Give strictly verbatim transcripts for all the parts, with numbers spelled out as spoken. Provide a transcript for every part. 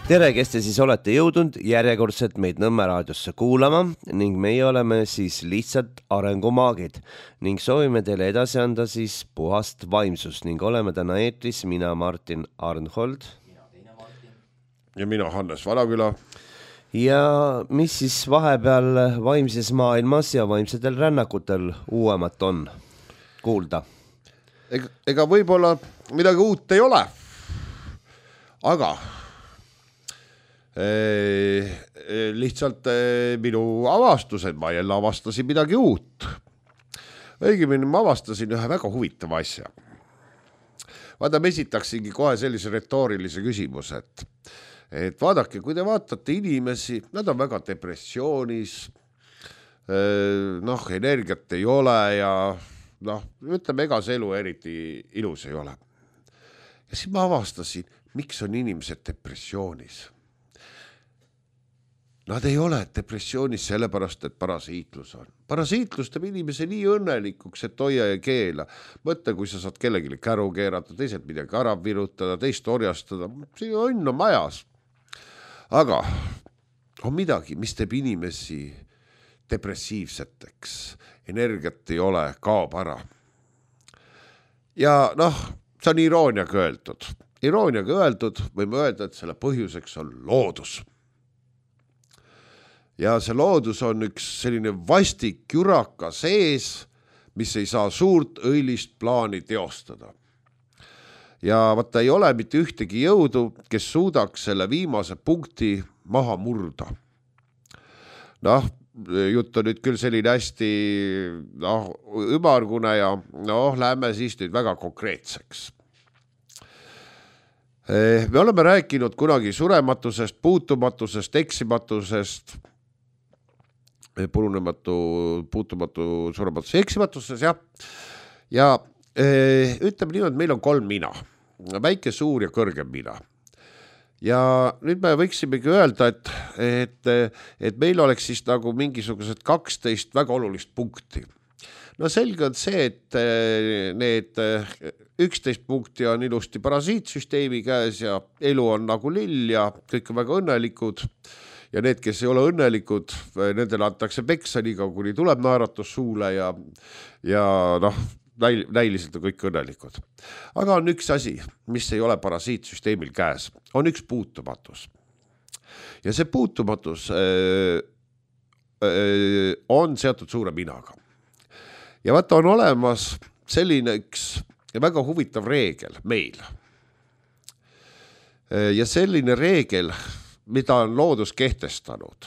Tere, kes te siis olete jõudnud järjekordselt meid Nõmme raadiosse kuulama ning meie oleme siis lihtsalt arengumaagid ning soovime teile edasi anda siis puhast vaimsust ning oleme täna eetris mina Martin Arnhold ja mina Hannes Vanaküla. Ja mis siis vahepeal vaimses maailmas ja vaimsetel rännakutel uuemat on kuulda? Ega, ega võib-olla midagi uut ei ole, aga Eh, lihtsalt eh, minu avastused, ma jälle avastasin midagi uut. Õigemini ma avastasin ühe väga huvitava asja. Vaata, me esitaksingi kohe sellise retoorilise küsimuse, et, et vaadake, kui te vaatate inimesi, nad on väga depressioonis, eh, noh, energiat ei ole ja noh, ütleme, ega see elu eriti ilus ei ole. Ja siis ma avastasin, miks on inimesed depressioonis. Nad ei ole depressioonis sellepärast, et parasiitlus on. Parasiitlus teeb inimese nii õnnelikuks, et hoia ja keela. Mõtle, kui sa saad kellelegi käru keerata, teised midagi ära virutada, teist orjastada. See õnn on majas. Aga on midagi, mis teeb inimesi depressiivseteks. Energiat ei ole, kaob ära. Ja noh, see on irooniaga öeldud. Irooniaga öeldud võime öelda, et selle põhjuseks on loodus. Ja see loodus on üks selline vastik juraka sees, mis ei saa suurt õilist plaani teostada. Ja vaata, ei ole mitte ühtegi jõudu, kes suudaks selle viimase punkti maha murda. Noh, jutt on nüüd küll selline hästi noh, ümargune ja noh, lähme siis nüüd väga konkreetseks. Me oleme rääkinud kunagi surematusest, puutumatusest, eksimatusest, purunematu, puutumatu, surematus, eksimatuses, jah. Ja e, ütleme nii, et meil on kolm mina, väike, suur ja kõrgem mina. Ja nüüd me võiksimegi öelda, et, et, et meil oleks siis nagu mingisugused kaksteist väga olulist punkti. No selge on see, et need üksteist punkti on ilusti parasiitsüsteemi käes ja elu on nagu lill ja kõik on väga õnnelikud. Ja need, kes ei ole õnnelikud, nendele antakse peksa nii kaua, kuni tuleb naeratus suule ja, ja noh, näil, näiliselt on kõik õnnelikud. Aga on üks asi, mis ei ole parasiitsüsteemil käes, on üks puutumatus. Ja see puutumatus öö, öö, on seotud suure minaga. Ja vaata, on olemas selline üks väga huvitav reegel meil. Ja selline reegel, mida on loodus kehtestanud.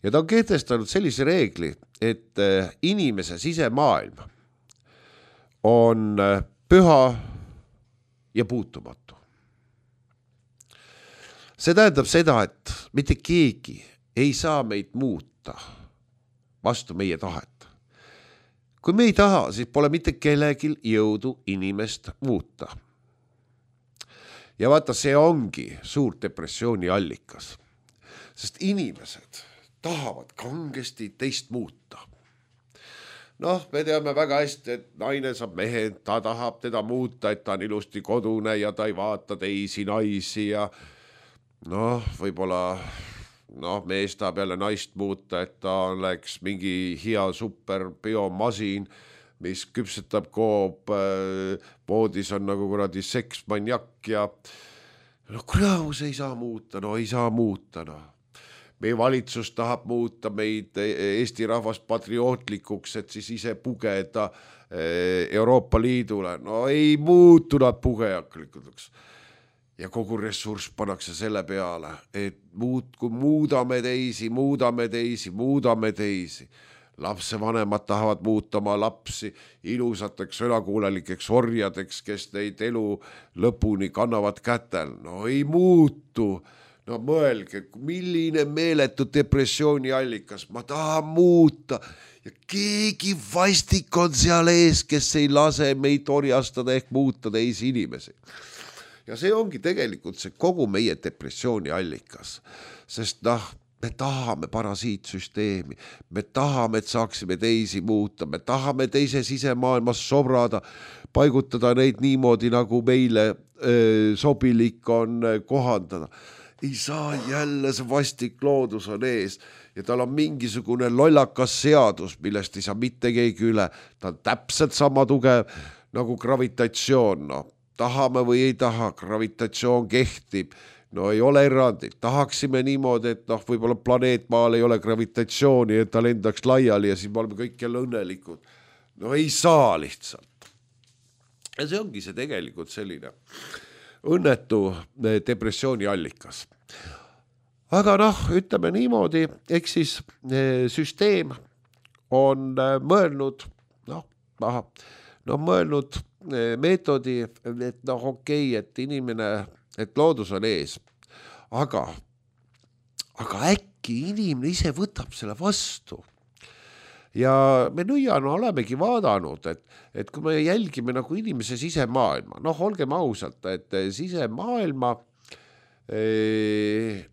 Ja ta on kehtestanud sellise reegli, et inimese sisemaailm on püha ja puutumatu. See tähendab seda, et mitte keegi ei saa meid muuta vastu meie tahet. Kui me ei taha, siis pole mitte kellegil jõudu inimest muuta. Ja vaata, see ongi suur depressiooni allikas, sest inimesed tahavad kangesti teist muuta. Noh, me teame väga hästi, et naine saab mehe, ta tahab teda muuta, et ta on ilusti kodune ja ta ei vaata teisi naisi ja noh, võib-olla noh, mees tahab jälle naist muuta, et ta oleks mingi hea super biomasin, mis küpsetab koob, poodis on nagu kuradi seksmanjak ja no kraus ei saa muuta, no ei saa muuta. No. Meie valitsus tahab muuta meid Eesti rahvast patriootlikuks, et siis ise pugeda Euroopa Liidule. No ei muutu nad pugejaklikuks. Ja kogu ressurss pannakse selle peale, et muud, kui muudame teisi, muudame teisi, muudame teisi. Lapsevanemad tahavad muuta oma lapsi ilusateks sõnakuulelikeks orjadeks, kes neid elu lõpuni kannavad kätel. No ei muutu. No mõelge, milline meeletu depressiooni allikas. Ma tahan muuta. Ja keegi vastik on seal ees, kes ei lase meid orjastada ehk muuta teisi inimesi. Ja see ongi tegelikult see kogu meie depressiooni allikas. Sest noh, me tahame parasiitsüsteemi, me tahame, et saaksime teisi muuta, me tahame teise sisemaailmas sobrada, paigutada neid niimoodi, nagu meile öö, sobilik on kohandada. ei saa, jälle see vastik loodus on ees ja tal on mingisugune lollakas seadus, millest ei saa mitte keegi üle. Ta on täpselt sama tugev nagu gravitatsioon, no tahame või ei taha, gravitatsioon kehtib, no ei ole erandit. Tahaksime niimoodi, et noh, võib-olla planeet Maal ei ole gravitatsiooni, et ta lendaks laiali ja siis me oleme kõik jälle õnnelikud. No ei saa lihtsalt. Ja see ongi see tegelikult selline õnnetu depressiooni allikas. Aga noh, ütleme niimoodi, eks siis süsteem on mõelnud, noh, aha, no mõelnud meetodi, et noh, okei, et inimene, et loodus on ees, aga, aga äkki inimene ise võtab selle vastu. Ja me nõiana olemegi vaadanud, et, et kui me jälgime nagu inimese sisemaailma, noh, olgem ausalt, et sisemaailma,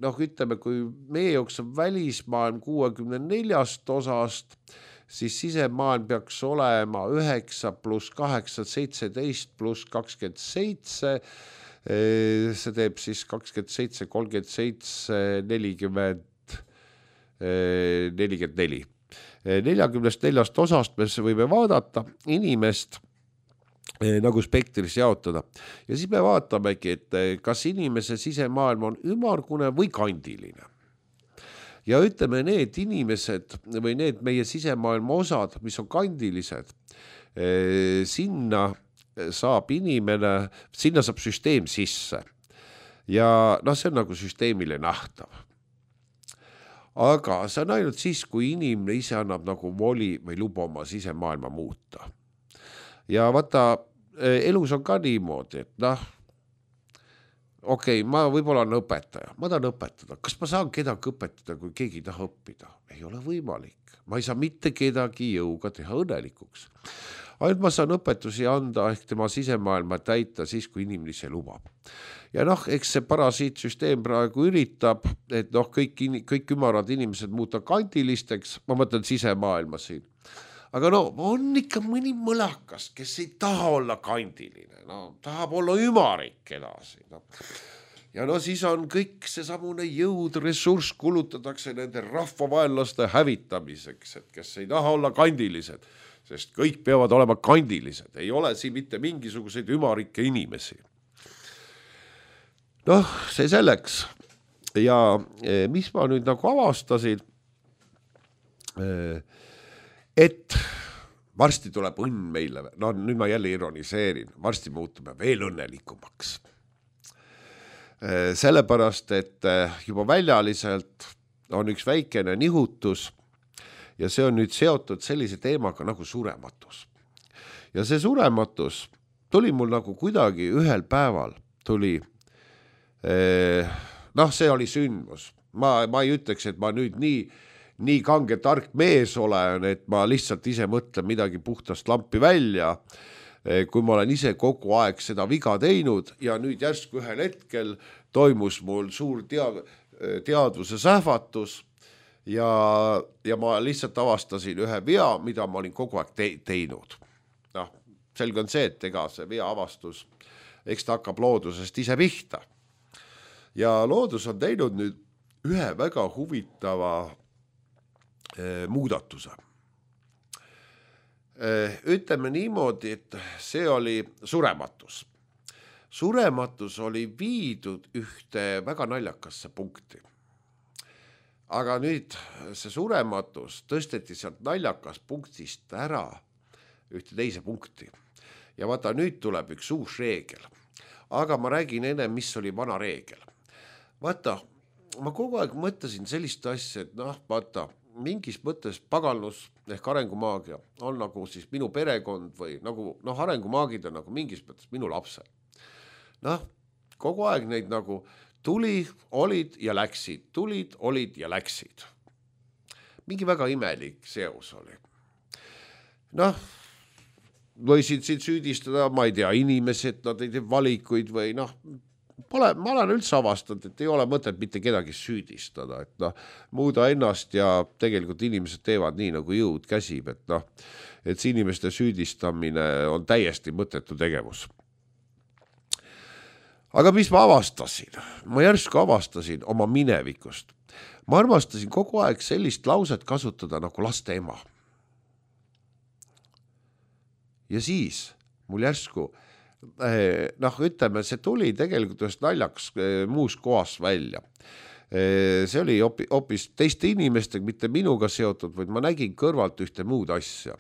noh, ütleme, kui meie jaoks on välismaailm kuuekümne neljast osast, siis sisemaailm peaks olema üheksa pluss kaheksa, seitseteist pluss kakskümmend seitse, see teeb siis kakskümmend seitse, kolmkümmend seitse, nelikümmend, nelikümmend neli. neljakümnest neljast osast me võime vaadata inimest nagu spektris jaotada. Ja siis me vaatamegi, et kas inimese sisemaailm on ümargune või kandiline. Ja ütleme, need inimesed või need meie sisemaailma osad, mis on kandilised, sinna saab inimene, sinna saab süsteem sisse. Ja noh, see on nagu süsteemile nähtav. Aga see on ainult siis, kui inimene ise annab nagu voli või luba oma sisemaailma muuta. Ja vaata, elus on ka niimoodi, et noh, okei, okay, ma võib-olla on õpetaja, ma tahan õpetada. Kas ma saan kedagi õpetada, kui keegi ei taha õppida? Ei ole võimalik. Ma ei saa mitte kedagi jõuga teha õnnelikuks. Ainult ma saan õpetusi anda ehk tema sisemaailma täita siis, kui inimene ise lubab. Ja noh, eks see parasiitsüsteem praegu üritab, et noh, kõik, kõik ümarad inimesed muuta kandilisteks, ma mõtlen sisemaailma siin. Aga no, on ikka mõni mõlakas, kes ei taha olla kandiline, no, tahab olla ümarik edasi. No. Ja no siis on kõik see samune jõud, ressurss kulutatakse nende rahvavaenlaste hävitamiseks, et kes ei taha olla kandilised, sest kõik peavad olema kandilised, ei ole siin mitte mingisuguseid ümarikke inimesi. Noh, see selleks. Ja mis ma nüüd nagu avastasin, et varsti tuleb õnn meile, no nüüd ma jälle ironiseerin, varsti muutume veel õnnelikumaks. Sellepärast, et juba väljaliselt on üks väikene nihutus ja see on nüüd seotud sellise teemaga nagu surematus. Ja see surematus tuli mul nagu kuidagi ühel päeval tuli noh, see oli sündmus. Ma, ma ei ütleks, et ma nüüd nii, nii kange tark mees olen, et ma lihtsalt ise mõtlen midagi puhtast lampi välja, kui ma olen ise kogu aeg seda viga teinud ja nüüd järsku ühel hetkel toimus mul suur tead, teadvuse sähvatus ja, ja ma lihtsalt avastasin ühe vea, mida ma olin kogu aeg te teinud. Noh, selge on see, et ega see vea avastus, eks ta hakkab loodusest ise pihta. Ja loodus on teinud nüüd ühe väga huvitava eh, muudatuse. Eh, ütleme niimoodi, et see oli surematus. Surematus oli viidud ühte väga naljakasse punkti. Aga nüüd see surematus tõsteti sealt naljakas punktist ära ühte teise punkti. Ja vaata, nüüd tuleb üks uus reegel. Aga ma räägin enne, mis oli vana reegel. Vaata, ma kogu aeg mõtlesin sellist asja, et noh, vaata, mingis mõttes pagalnus ehk arengumaagia on nagu siis minu perekond või nagu, noh, arengumaagid on nagu mingis mõttes minu lapsed. Noh, kogu aeg neid nagu tuli, olid ja läksid, tulid, olid ja läksid. Mingi väga imelik seos oli. Noh, võisid siin süüdistada, ma ei tea, inimesed, nad ei tee valikuid või noh, Pole, ma olen üldse avastanud, et ei ole mõtet mitte kedagi süüdistada, et noh, muuda ennast ja tegelikult inimesed teevad nii, nagu jõud käsib, et noh, et see inimeste süüdistamine on täiesti mõttetu tegevus. aga mis ma avastasin? Ma järsku avastasin oma minevikust. Ma armastasin kogu aeg sellist lauset kasutada nagu laste ema. Ja siis mul järsku, noh, ütleme, see tuli tegelikult ühest naljaks muus kohas välja. See oli hoopis teiste inimestega, mitte minuga seotud, vaid ma nägin kõrvalt ühte muud asja.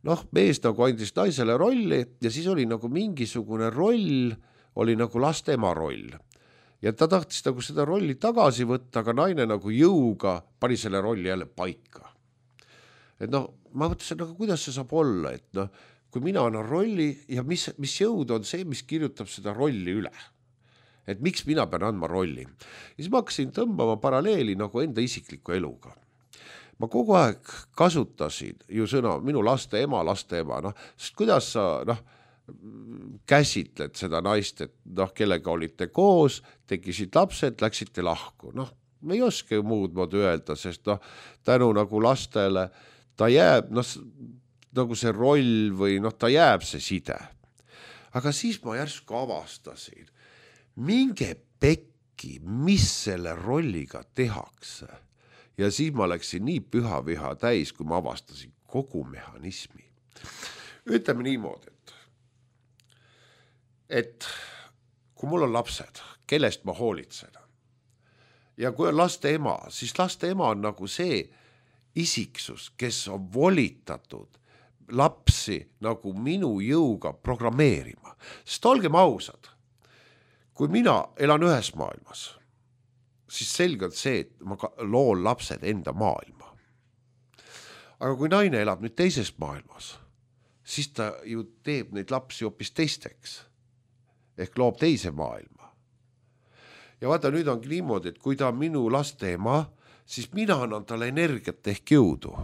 Noh, mees nagu andis naisele rolli ja siis oli nagu mingisugune roll, oli nagu laste ema roll. Ja ta tahtis nagu seda rolli tagasi võtta, aga naine nagu jõuga pani selle rolli jälle paika. Et noh, ma mõtlesin, aga kuidas see saab olla, et noh, kui mina annan rolli ja mis, mis jõud on see, mis kirjutab seda rolli üle. Et miks mina pean andma rolli. Ja siis ma hakkasin tõmbama paralleeli nagu enda isikliku eluga. Ma kogu aeg kasutasin ju sõna minu laste ema, laste ema, noh, sest kuidas sa noh, käsitled seda naist, et noh, kellega olite koos, tekisid lapsed, läksite lahku. Noh, me ei oska muud moodi öelda, sest noh, tänu nagu lastele ta jääb, noh, nagu see roll või noh, ta jääb see side. Aga siis ma järsku avastasin, minge pekki, mis selle rolliga tehakse. Ja siis ma läksin nii püha viha täis, kui ma avastasin kogu mehhanismi. Ütleme niimoodi, et, et kui mul on lapsed, kellest ma hoolitsen, ja kui on laste ema, siis laste ema on nagu see isiksus, kes on volitatud lapsi nagu minu jõuga programmeerima. Sest olgem ausad, kui mina elan ühes maailmas, siis selgelt see, et ma loon lapsed enda maailma. Aga kui naine elab nüüd teises maailmas, siis ta ju teeb neid lapsi hoopis teisteks. Ehk loob teise maailma. Ja vaata, nüüd ongi niimoodi, et kui ta on minu laste ema, siis mina annan talle energiat ehk jõudu.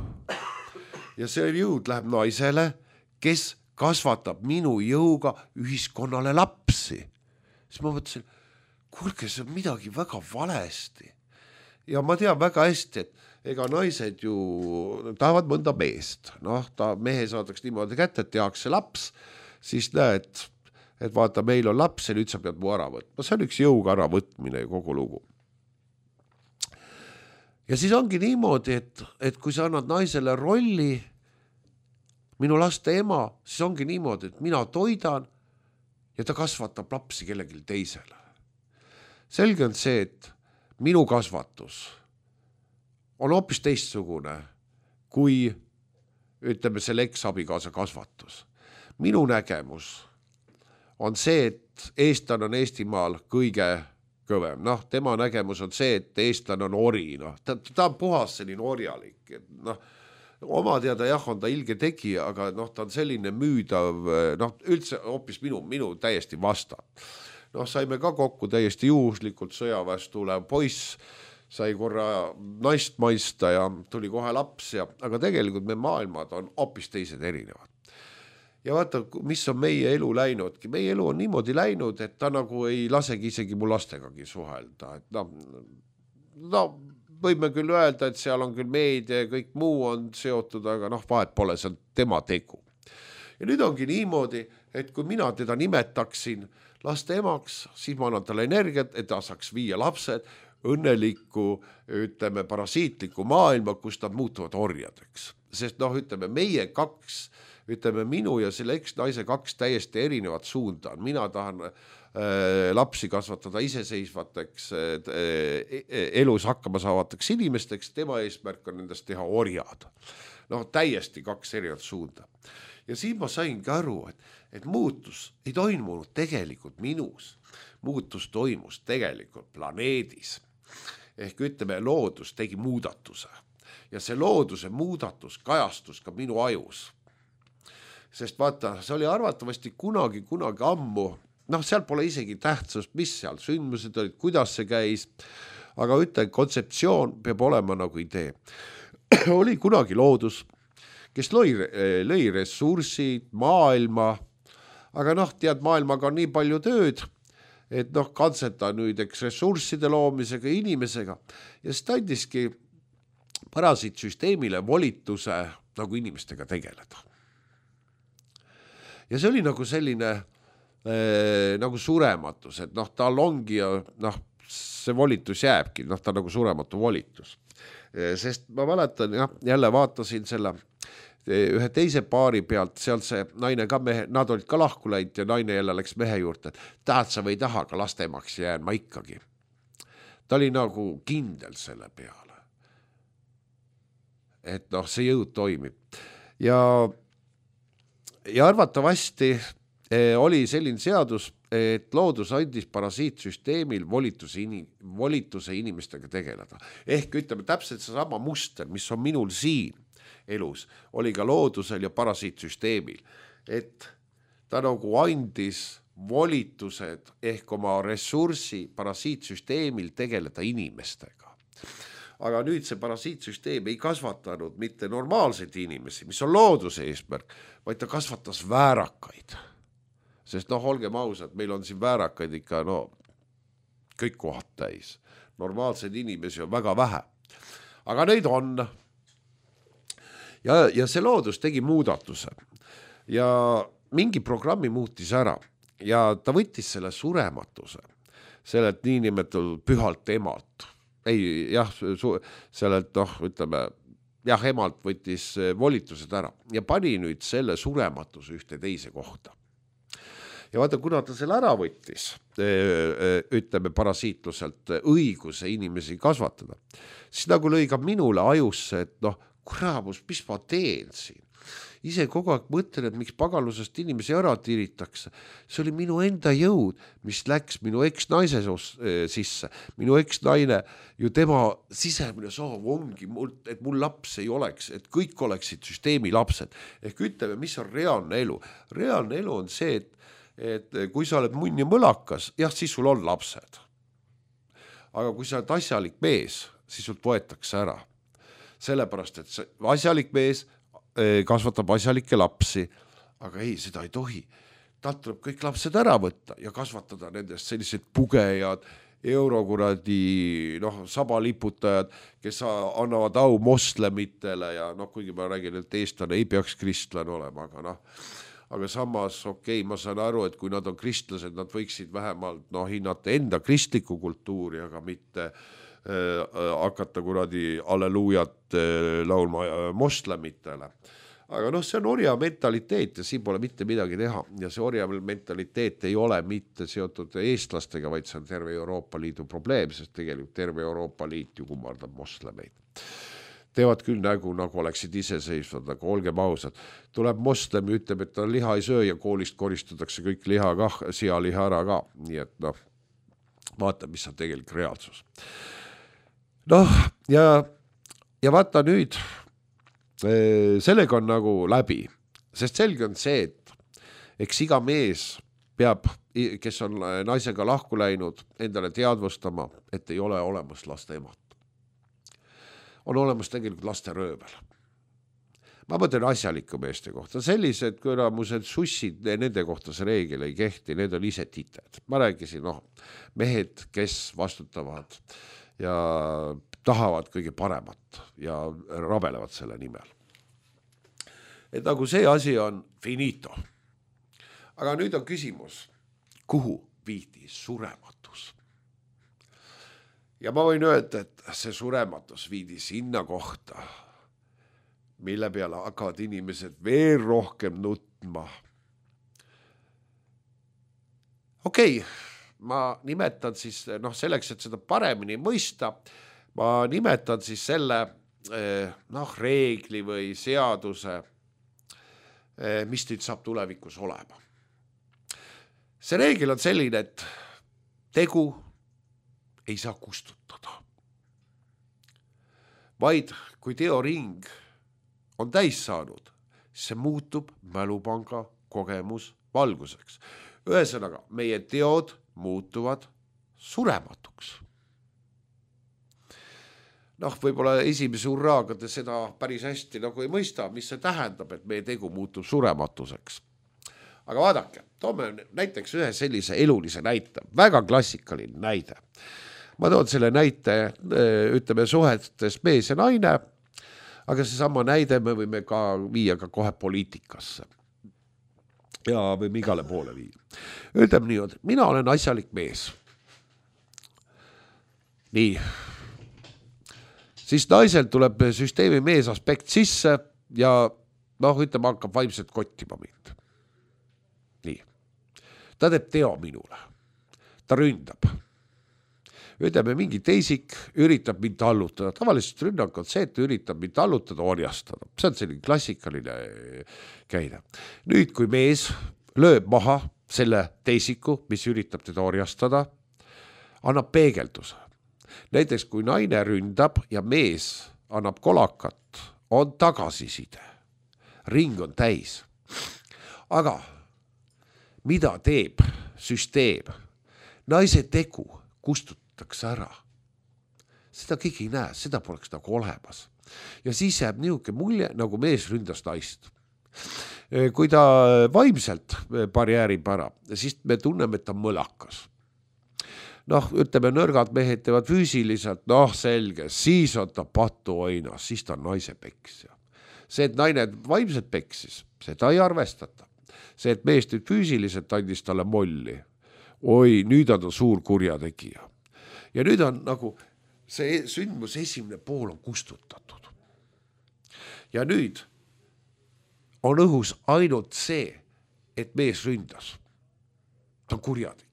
Ja see jõud läheb naisele, kes kasvatab minu jõuga ühiskonnale lapsi. Siis ma mõtlesin, kuulge, see on midagi väga valesti. Ja ma tean väga hästi, et ega naised ju tahavad mõnda meest. Noh, ta mehe saadaks niimoodi kätte, et tehakse laps, siis näed, et vaata, meil on laps ja nüüd sa pead mu ära võtma. See on üks jõuga ära võtmine ja kogu lugu. Ja siis ongi niimoodi, et, et kui sa annad naisele rolli, minu laste ema, siis ongi niimoodi, et mina toidan ja ta kasvatab lapsi kellelgi teisele. Selge on see, et minu kasvatus on hoopis teistsugune kui, ütleme, selle eks-abikaasa kasvatus. Minu nägemus on see, et eestlane on Eestimaal kõige kõvem. Noh, tema nägemus on see, et eestlane on ori. Noh, ta, ta on puhas selline orjalik. Noh, oma teada jah, on ta ilge tegija, aga noh, ta on selline müüdav, noh, üldse hoopis minu, minu täiesti vastab. Noh, saime ka kokku täiesti juhuslikult sõjaväest tulev poiss, sai korra naist maista ja tuli kohe laps, ja, aga tegelikult me maailmad on hoopis teised erinevad. Ja vaata, mis on meie elu läinudki. Meie elu on niimoodi läinud, et ta nagu ei lasegi isegi mu lastegagi suhelda. Et no, no, võime küll öelda, et seal on küll meedia ja kõik muu on seotud, aga noh, vahet pole, see on tema tegu. Ja nüüd ongi niimoodi, et kui mina teda nimetaksin laste emaks, siis ma annan talle energiat, et ta saaks viia lapsed õnnelikku, ütleme, parasiitlikku maailma, kus nad muutuvad orjadeks. Sest noh, ütleme, meie kaks, ütleme, minu ja selle eks-naise kaks täiesti erinevat suunda on. Mina tahan äh, lapsi kasvatada iseseisvateks, äh, elus hakkama saavateks inimesteks, tema eesmärk on nendest teha orjad. Noh, täiesti kaks erinevat suunda. Ja siin ma saingi aru, et, et muutus ei toimunud tegelikult minus. Muutus toimus tegelikult planeedis. Ehk ütleme, loodus tegi muudatuse. Ja see looduse muudatus kajastus ka minu ajus. Sest vaata, see oli arvatavasti kunagi, kunagi ammu. Noh, seal pole isegi tähtsust, mis seal sündmused olid, kuidas see käis. Aga ütlen, kontseptsioon peab olema nagu idee. Oli kunagi loodus, kes lõi, lõi ressursid, maailma, aga noh, tead, maailmaga on nii palju tööd, et noh, katseta nüüd eks ressursside loomisega inimesega ja siis ta andiski parasiitsüsteemile volituse nagu inimestega tegeleda. Ja see oli nagu selline äh, nagu surematus, et noh, tal ongi ja noh, see volitus jääbki, noh, ta nagu surematu volitus. Sest ma mäletan, jah, jälle vaatasin selle ühe teise paari pealt, seal see naine ka mehe, nad olid ka lahku läinud ja naine jälle läks mehe juurde, et tahad sa või ei taha, aga lastemaks jään ma ikkagi. Ta oli nagu kindel selle peale. Et noh, see jõud toimib. Ja, ja arvatavasti eh, oli selline seadus, et loodus andis parasiitsüsteemil volituse, inim, volituse inimestega tegeleda. Ehk ütleme täpselt see sama muster, mis on minul siin elus, oli ka loodusel ja parasiitsüsteemil. Et ta nagu andis volitused ehk oma ressurssi parasiitsüsteemil tegeleda inimestega. Aga nüüd see parasiitsüsteem ei kasvatanud mitte normaalseid inimesi, mis on looduse eesmärk, vaid ta kasvatas väärakaid. Sest noh, olgem ausad, meil on siin väärakaid ikka no, kõik kohad täis. Normaalseid inimesi on väga vähe. Aga neid on. Ja, ja see loodus tegi muudatuse. Ja mingi programmi muutis ära. Ja ta võttis selle surematuse. Sellelt niinimetatud pühalt emalt. Ei, jah, sellelt, noh, ütleme, jah, emalt võttis volitused ära. Ja pani nüüd selle surematuse ühte teise kohta. Ja vaata, kuna ta selle ära võttis, ütleme parasiitluselt õiguse inimesi kasvatada, siis nagu lõi ka minule ajusse, et noh, kuramus, mis ma teen siin? Ise kogu aeg mõtlen, et miks pagalusest inimesi ära tiritakse. See oli minu enda jõud, mis läks minu eks-naise sisse. Minu eks-naine ju tema sisemine soov ongi, et mul laps ei oleks, et kõik oleksid süsteemi lapsed. Ehk ütleme, mis on reaalne elu. Reaalne elu on see, et et kui sa oled munn ja mõlakas, jah, siis sul on lapsed. Aga kui sa oled asjalik mees, siis sult võetakse ära. Sellepärast, et see asjalik mees kasvatab asjalikke lapsi, aga ei, seda ei tohi. Talt tuleb kõik lapsed ära võtta ja kasvatada nendest sellised pugejad, eurokuradi, noh, sabaliputajad, kes annavad au moslemitele ja noh, kuigi ma räägin, et eestlane ei peaks kristlane olema, aga noh, aga samas, okei, ma saan aru, et kui nad on kristlased, nad võiksid vähemalt no, hinnata enda kristlikku kultuuri, aga mitte äh, hakata kuradi alleluujat äh, laulma äh, moslemitele. Aga noh, see on orja mentaliteet ja siin pole mitte midagi teha. Ja see orja mentaliteet ei ole mitte seotud eestlastega, vaid see on terve Euroopa Liidu probleem, sest tegelikult terve Euroopa Liit ju kummardab moslemeid. Teevad küll nägu, nagu oleksid iseseisvad, aga olgem ausad. Tuleb moslem ja ütleb, et ta liha ei söö ja koolist koristatakse kõik liha kah, sialiha ära ka. Nii et noh, vaata, mis on tegelikult reaalsus. Noh, ja, ja vaata nüüd, sellega on nagu läbi. Sest selge on see, et eks iga mees peab, kes on naisega lahku läinud, endale teadvustama, et ei ole olemas laste emat. On olemas tegelikult laste röövel. Ma mõtlen asjaliku meeste kohta. Sellised kõramused sussid, nende kohta see reegel ei kehti, need on ise tited. Ma räägisin, noh, mehed, kes vastutavad ja tahavad kõige paremat ja rabelevad selle nimel. Et nagu see asi on finito. Aga nüüd on küsimus, kuhu viidi surematus? Ja ma võin öelda, et see surematus viidi sinna kohta, mille peale hakkavad inimesed veel rohkem nutma. Okei, ma nimetan siis, noh selleks, et seda paremini mõista, ma nimetan siis selle noh, reegli või seaduse, mis nüüd saab tulevikus olema. See reegel on selline, et tegu ei saa kustutada. Vaid kui teoring on täis saanud, see muutub mälupanga kogemus valguseks. Ühesõnaga, meie teod muutuvad surematuks. Noh, võib-olla esimese urraaga te seda päris hästi nagu ei mõista, mis see tähendab, et meie tegu muutub surematuseks. Aga vaadake, toome näiteks ühe sellise elulise näite, väga klassikaline näide. Ma toon selle näite, ütleme, suhetes mees ja naine, aga see sama näide me võime ka viia ka kohe poliitikasse. ja võime igale poole viia. Ütleme nii, mina olen asjalik mees. Nii. Siis naisel tuleb süsteemi mees aspekt sisse ja noh, ütleme, hakkab vaimselt kottima mind. Nii. Ta teeb teo minule. Ta ründab. Ütleme, mingi teisik üritab mind tallutada. Tavaliselt rünnak on see, et ta üritab mind tallutada, orjastada. See on selline klassikaline käide. Nüüd, kui mees lööb maha selle teisiku, mis üritab teda orjastada, annab peegelduse. Näiteks, kui naine ründab ja mees annab kolakat, on tagasiside. Ring on täis. Aga mida teeb süsteem? Naise tegu kustutatakse ära. Seda keegi ei näe, seda poleks nagu olemas. Ja siis jääb niisugune mulje, nagu mees ründas naist. Kui ta vaimselt barjäärib ära, siis me tunneme, et ta mõlakas. Noh, ütleme, nõrgad mehed teevad füüsiliselt, noh selge, siis on ta patu oinas, siis ta on naise peksja. See, et naine vaimselt peksis, seda ei arvestata. See, et mees nüüd füüsiliselt andis talle molli, oi, nüüd on ta suur kurjategija. Ja nüüd on nagu see sündmus esimene pool on kustutatud. Ja nüüd on õhus ainult see, et mees ründas. Ta on kurjategija.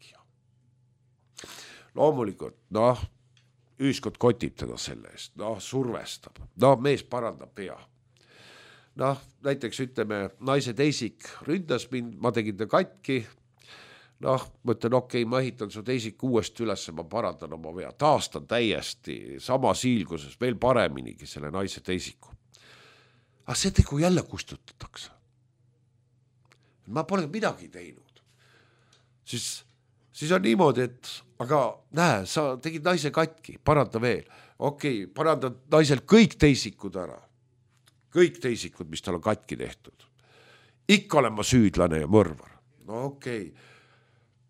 Loomulikult, noh, ühiskond kotib teda selle eest, noh, survestab, noh, mees parandab pea. Noh, näiteks ütleme, naise teisik ründas mind, ma tegin ta katki, noh, mõtlen, okei, okay, ma ehitan su teisik uuesti üles, ma parandan oma vea, taastan täiesti sama siilguses, veel pareminigi selle naise teisiku. Aga see tegu jälle kustutatakse. Ma pole midagi teinud. Siis, siis on niimoodi, et aga näe, sa tegid naise katki, paranda veel. Okei, okay, paranda naisel kõik teisikud ära. Kõik teisikud, mis tal on katki tehtud. Ikka olen ma süüdlane ja mõrvar. No okei. Okay.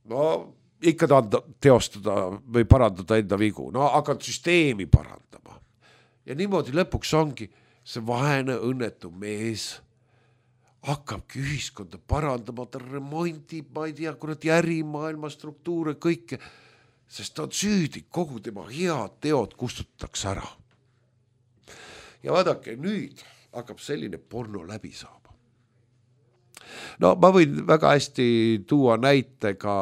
No ikka tahan teostada või parandada enda vigu. No hakkad süsteemi parandama. Ja niimoodi lõpuks ongi see vaene õnnetu mees hakkabki ühiskonda parandama, ta remontib, ma ei tea, kurat järimaailma struktuure, kõike, sest ta on süüdi, kogu tema head teod kustutatakse ära. Ja vaadake, nüüd hakkab selline porno läbi saama. No ma võin väga hästi tuua näitega,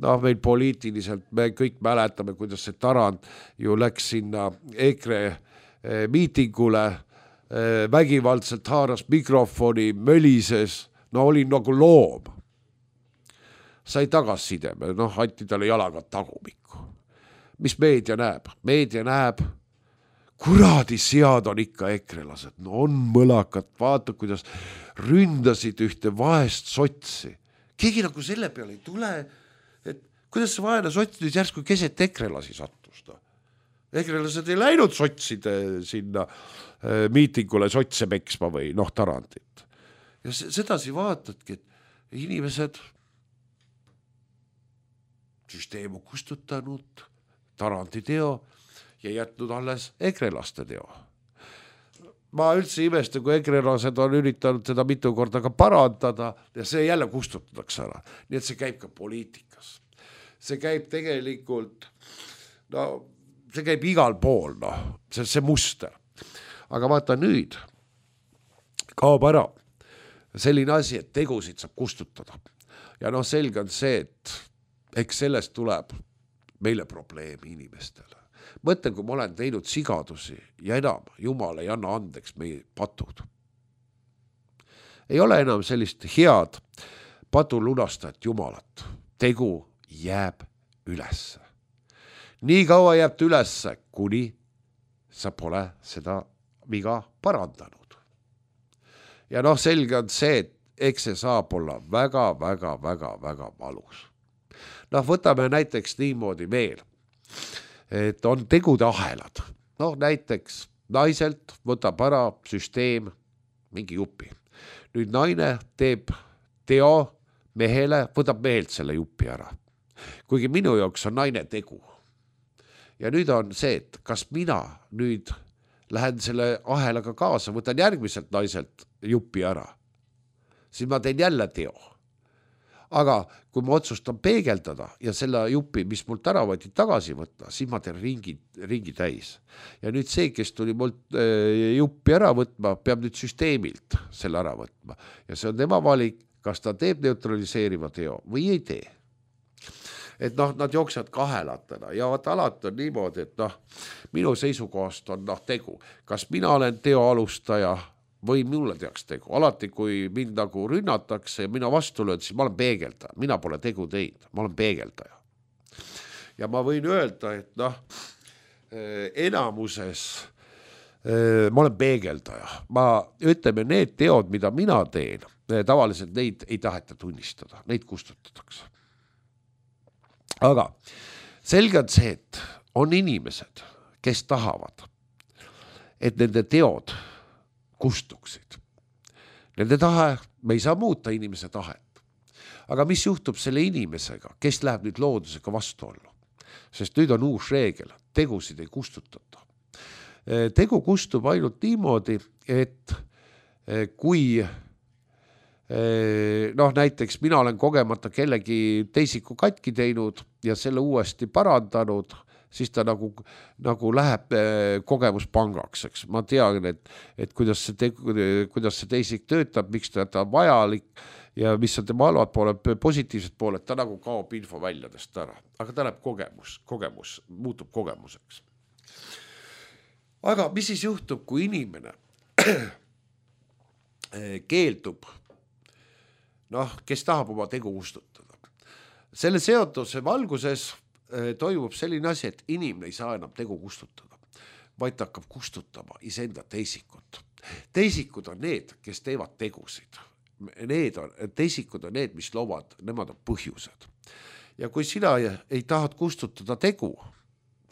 noh meil poliitiliselt, me kõik mäletame, kuidas see Tarand ju läks sinna EKRE miitingule, vägivaldselt haaras mikrofoni, mölises, no oli nagu loom. Sai tagasisideme, noh anti talle jalaga tagumikku. Mis meedia näeb? Meedia näeb, kuradi sead on ikka ekrelased, no on mõlakad, vaata kuidas ründasid ühte vaest sotsi. Keegi nagu selle peale ei tule, et kuidas see vaene sots nüüd järsku keset ekrelasi sattus. No? Ekrelased ei läinud sotside sinna äh, miitingule sotse peksma või noh Tarandit. Ja sedasi vaatadki, et inimesed süsteem on kustutanud Tarandi teo ja jätnud alles ekrelaste teo. Ma üldse imesta, kui ekrelased on üritanud seda mitu korda ka parandada ja see jälle kustutatakse ära. Nii et see käib ka poliitikas. See käib tegelikult, no see käib igal pool, noh, see, see muster. Aga vaata nüüd, kaob ära selline asi, et tegusid saab kustutada. Ja noh, selge on see, et eks sellest tuleb meile probleemi inimestele. Mõtlen, kui ma olen teinud sigadusi ja enam, Jumal ei anna andeks meie patud. Ei ole enam sellist head patulunastajat Jumalat. Tegu jääb ülesse. Nii kaua jääb ülesse, kuni sa pole seda viga parandanud. Ja noh, selge on see, et eks see saab olla väga, väga, väga, väga valus. Noh, võtame näiteks niimoodi veel, et on tegude ahelad. Noh, näiteks naiselt võtab ära süsteem mingi jupi. Nüüd naine teeb teo mehele, võtab mehelt selle jupi ära. Kuigi minu jaoks on naine tegu. Ja nüüd on see, et kas mina nüüd lähen selle ahelaga kaasa, võtan järgmiselt naiselt jupi ära. Siis ma teen jälle teo. aga kui ma otsustan peegeldada ja selle jupi, mis mult ära võeti, tagasi võtta, siis ma teen ringi, ringi täis. Ja nüüd see, kes tuli mult juppi ära võtma, peab nüüd süsteemilt selle ära võtma. Ja see on tema valik, kas ta teeb neutraliseeriva teo või ei tee. Et noh, nad jooksevad kahelatena ja vaat alati on niimoodi, et noh, minu seisukohast on noh tegu. Kas mina olen teo alustaja või mulle teaks tegu. Alati, kui mind nagu rünnatakse ja mina vastu löön, siis ma olen peegeldaja. Mina pole tegu teinud, ma olen peegeldaja. Ja ma võin öelda, et noh, enamuses ma olen peegeldaja. Ma ütleme, need teod, mida mina teen, tavaliselt neid ei taheta tunnistada, neid kustutatakse. Aga selge on see, et on inimesed, kes tahavad, et nende teod kustuksid. Nende tahe, me ei saa muuta inimese tahet. Aga mis juhtub selle inimesega, kes läheb nüüd loodusega vastuollu? Sest nüüd on uus reegel, tegusid ei kustutata. Tegu kustub ainult niimoodi, et kui noh, näiteks mina olen kogemata kellegi teisiku katki teinud ja selle uuesti parandanud, siis ta nagu, nagu läheb kogemuspangaks, eks. Ma tean, et, et kuidas, see te, kuidas see teisik töötab, miks ta on vajalik ja mis on tema halvad pooled, positiivsed pooled, ta nagu kaob info väljadest ära. Aga ta läheb kogemus, kogemus, muutub kogemuseks. Aga mis siis juhtub, kui inimene keeldub, noh, kes tahab oma tegu kustutada. Selle seotuse valguses toimub selline asi, et inimene ei saa enam tegu kustutada, vaid ta hakkab kustutama iseenda teisikut. Teisikud on need, kes teevad tegusid. Need on, teisikud on need, mis loovad, nemad on põhjused. Ja kui sina ei tahad kustutada tegu,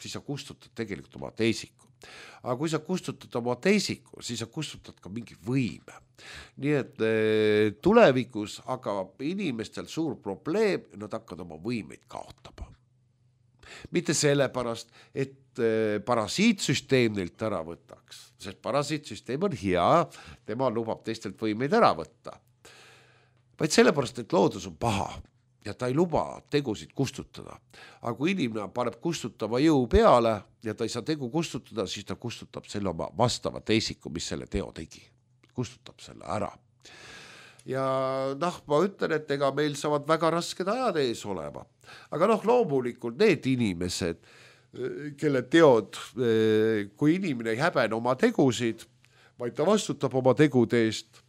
siis sa kustutad tegelikult oma teisiku. Aga kui sa kustutad oma teisiku, siis sa kustutad ka mingi võime. Nii et tulevikus hakkab inimestel suur probleem, nad hakkavad oma võimeid kaotama. Mitte sellepärast, et parasiitsüsteem neilt ära võtaks, sest parasiitsüsteem on hea, tema lubab teistelt võimeid ära võtta. Vaid sellepärast, et loodus on paha ja ta ei luba tegusid kustutada. Aga kui inimene paneb kustutava jõu peale ja ta ei saa tegu kustutada, siis ta kustutab selle oma vastava teisiku, mis selle teo tegi. Kustutab selle ära. Ja noh, ma ütlen, et ega meil saavad väga rasked ajad ees olema. Aga noh, loomulikult need inimesed, kelle teod, kui inimene ei häbene oma tegusid, vaid ta vastutab oma tegude eest,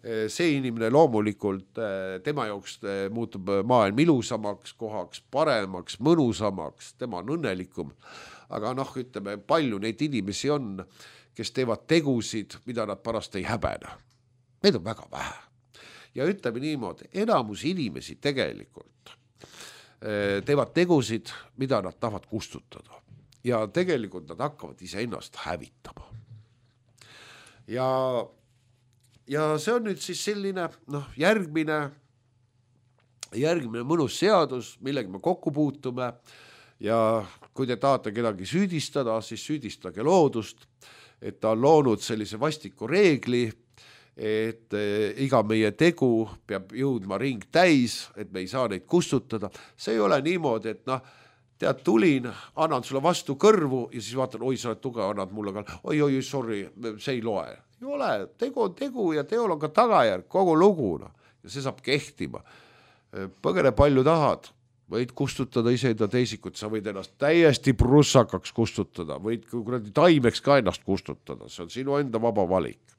see inimene loomulikult, tema jaoks muutub maailm ilusamaks kohaks, paremaks, mõnusamaks, tema on õnnelikum. Aga noh, ütleme, palju neid inimesi on, kes teevad tegusid, mida nad pärast ei häbene. Need on väga vähe. Ja ütleme niimoodi, enamus inimesi tegelikult teevad tegusid, mida nad tahavad kustutada. Ja tegelikult nad hakkavad iseennast hävitama. Ja Ja see on nüüd siis selline noh, järgmine, järgmine mõnus seadus, millega me kokku puutume ja kui te tahate kedagi süüdistada, siis süüdistage loodust, et ta on loonud sellise vastiku reegli, et iga meie tegu peab jõudma ring täis, et me ei saa neid kustutada. See ei ole niimoodi, et noh, tead, tulin, annan sulle vastu kõrvu ja siis vaatan, oi, sa oled tugev, annad mulle ka, oi, oi, sorry, see ei loe. Ei ole, tegu on tegu ja teol on ka tagajärg, kogu luguna ja see saab kehtima. Põgene palju tahad, võid kustutada iseenda teisikut, sa võid ennast täiesti prussakaks kustutada, võid taimeks ka ennast kustutada, see on sinu enda vaba valik.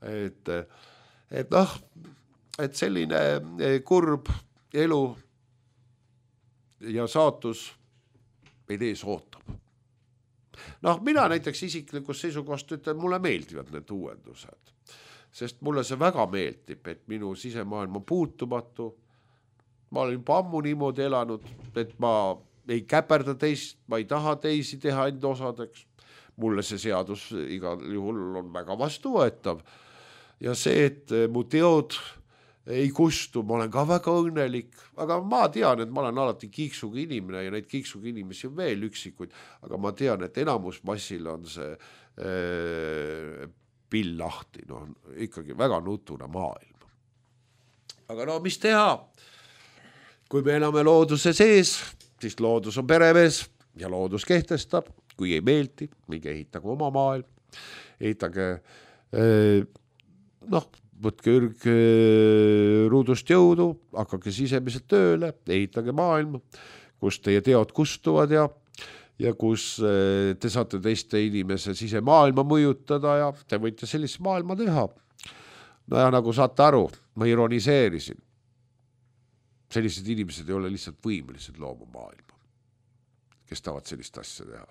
Et, et noh, et selline kurb elu ja saatus meid ees ootab. Noh, mina näiteks isiklikus seisukohast ütlen, mulle meeldivad need uuendused, sest mulle see väga meeldib, et minu sisemaailm on puutumatu. Ma olen juba ammu niimoodi elanud, et ma ei käperda teist, ma ei taha teisi teha enda osadeks. Mulle see seadus igal juhul on väga vastuvõetav. Ja see, et mu teod ei kustu, ma olen ka väga õnnelik, aga ma tean, et ma olen alati kiiksuga inimene ja neid kiiksuga inimesi on veel üksikuid, aga ma tean, et enamus massil on see ee, pill lahti, no ikkagi väga nutune maailm. Aga no mis teha? kui me elame looduse sees, siis loodus on peremees ja loodus kehtestab, kui ei meeldi, minge ehitage oma maailm, ehitage, noh, võtke ürg ruudust jõudu, hakake sisemiselt tööle, ehitage maailma, kus teie teod kustuvad ja, ja kus te saate teiste inimese sisemaailma mõjutada ja te võite sellise maailma teha. No ja nagu saate aru, ma ironiseerisin. Sellised inimesed ei ole lihtsalt võimelised looma maailma, kes tahavad sellist asja teha.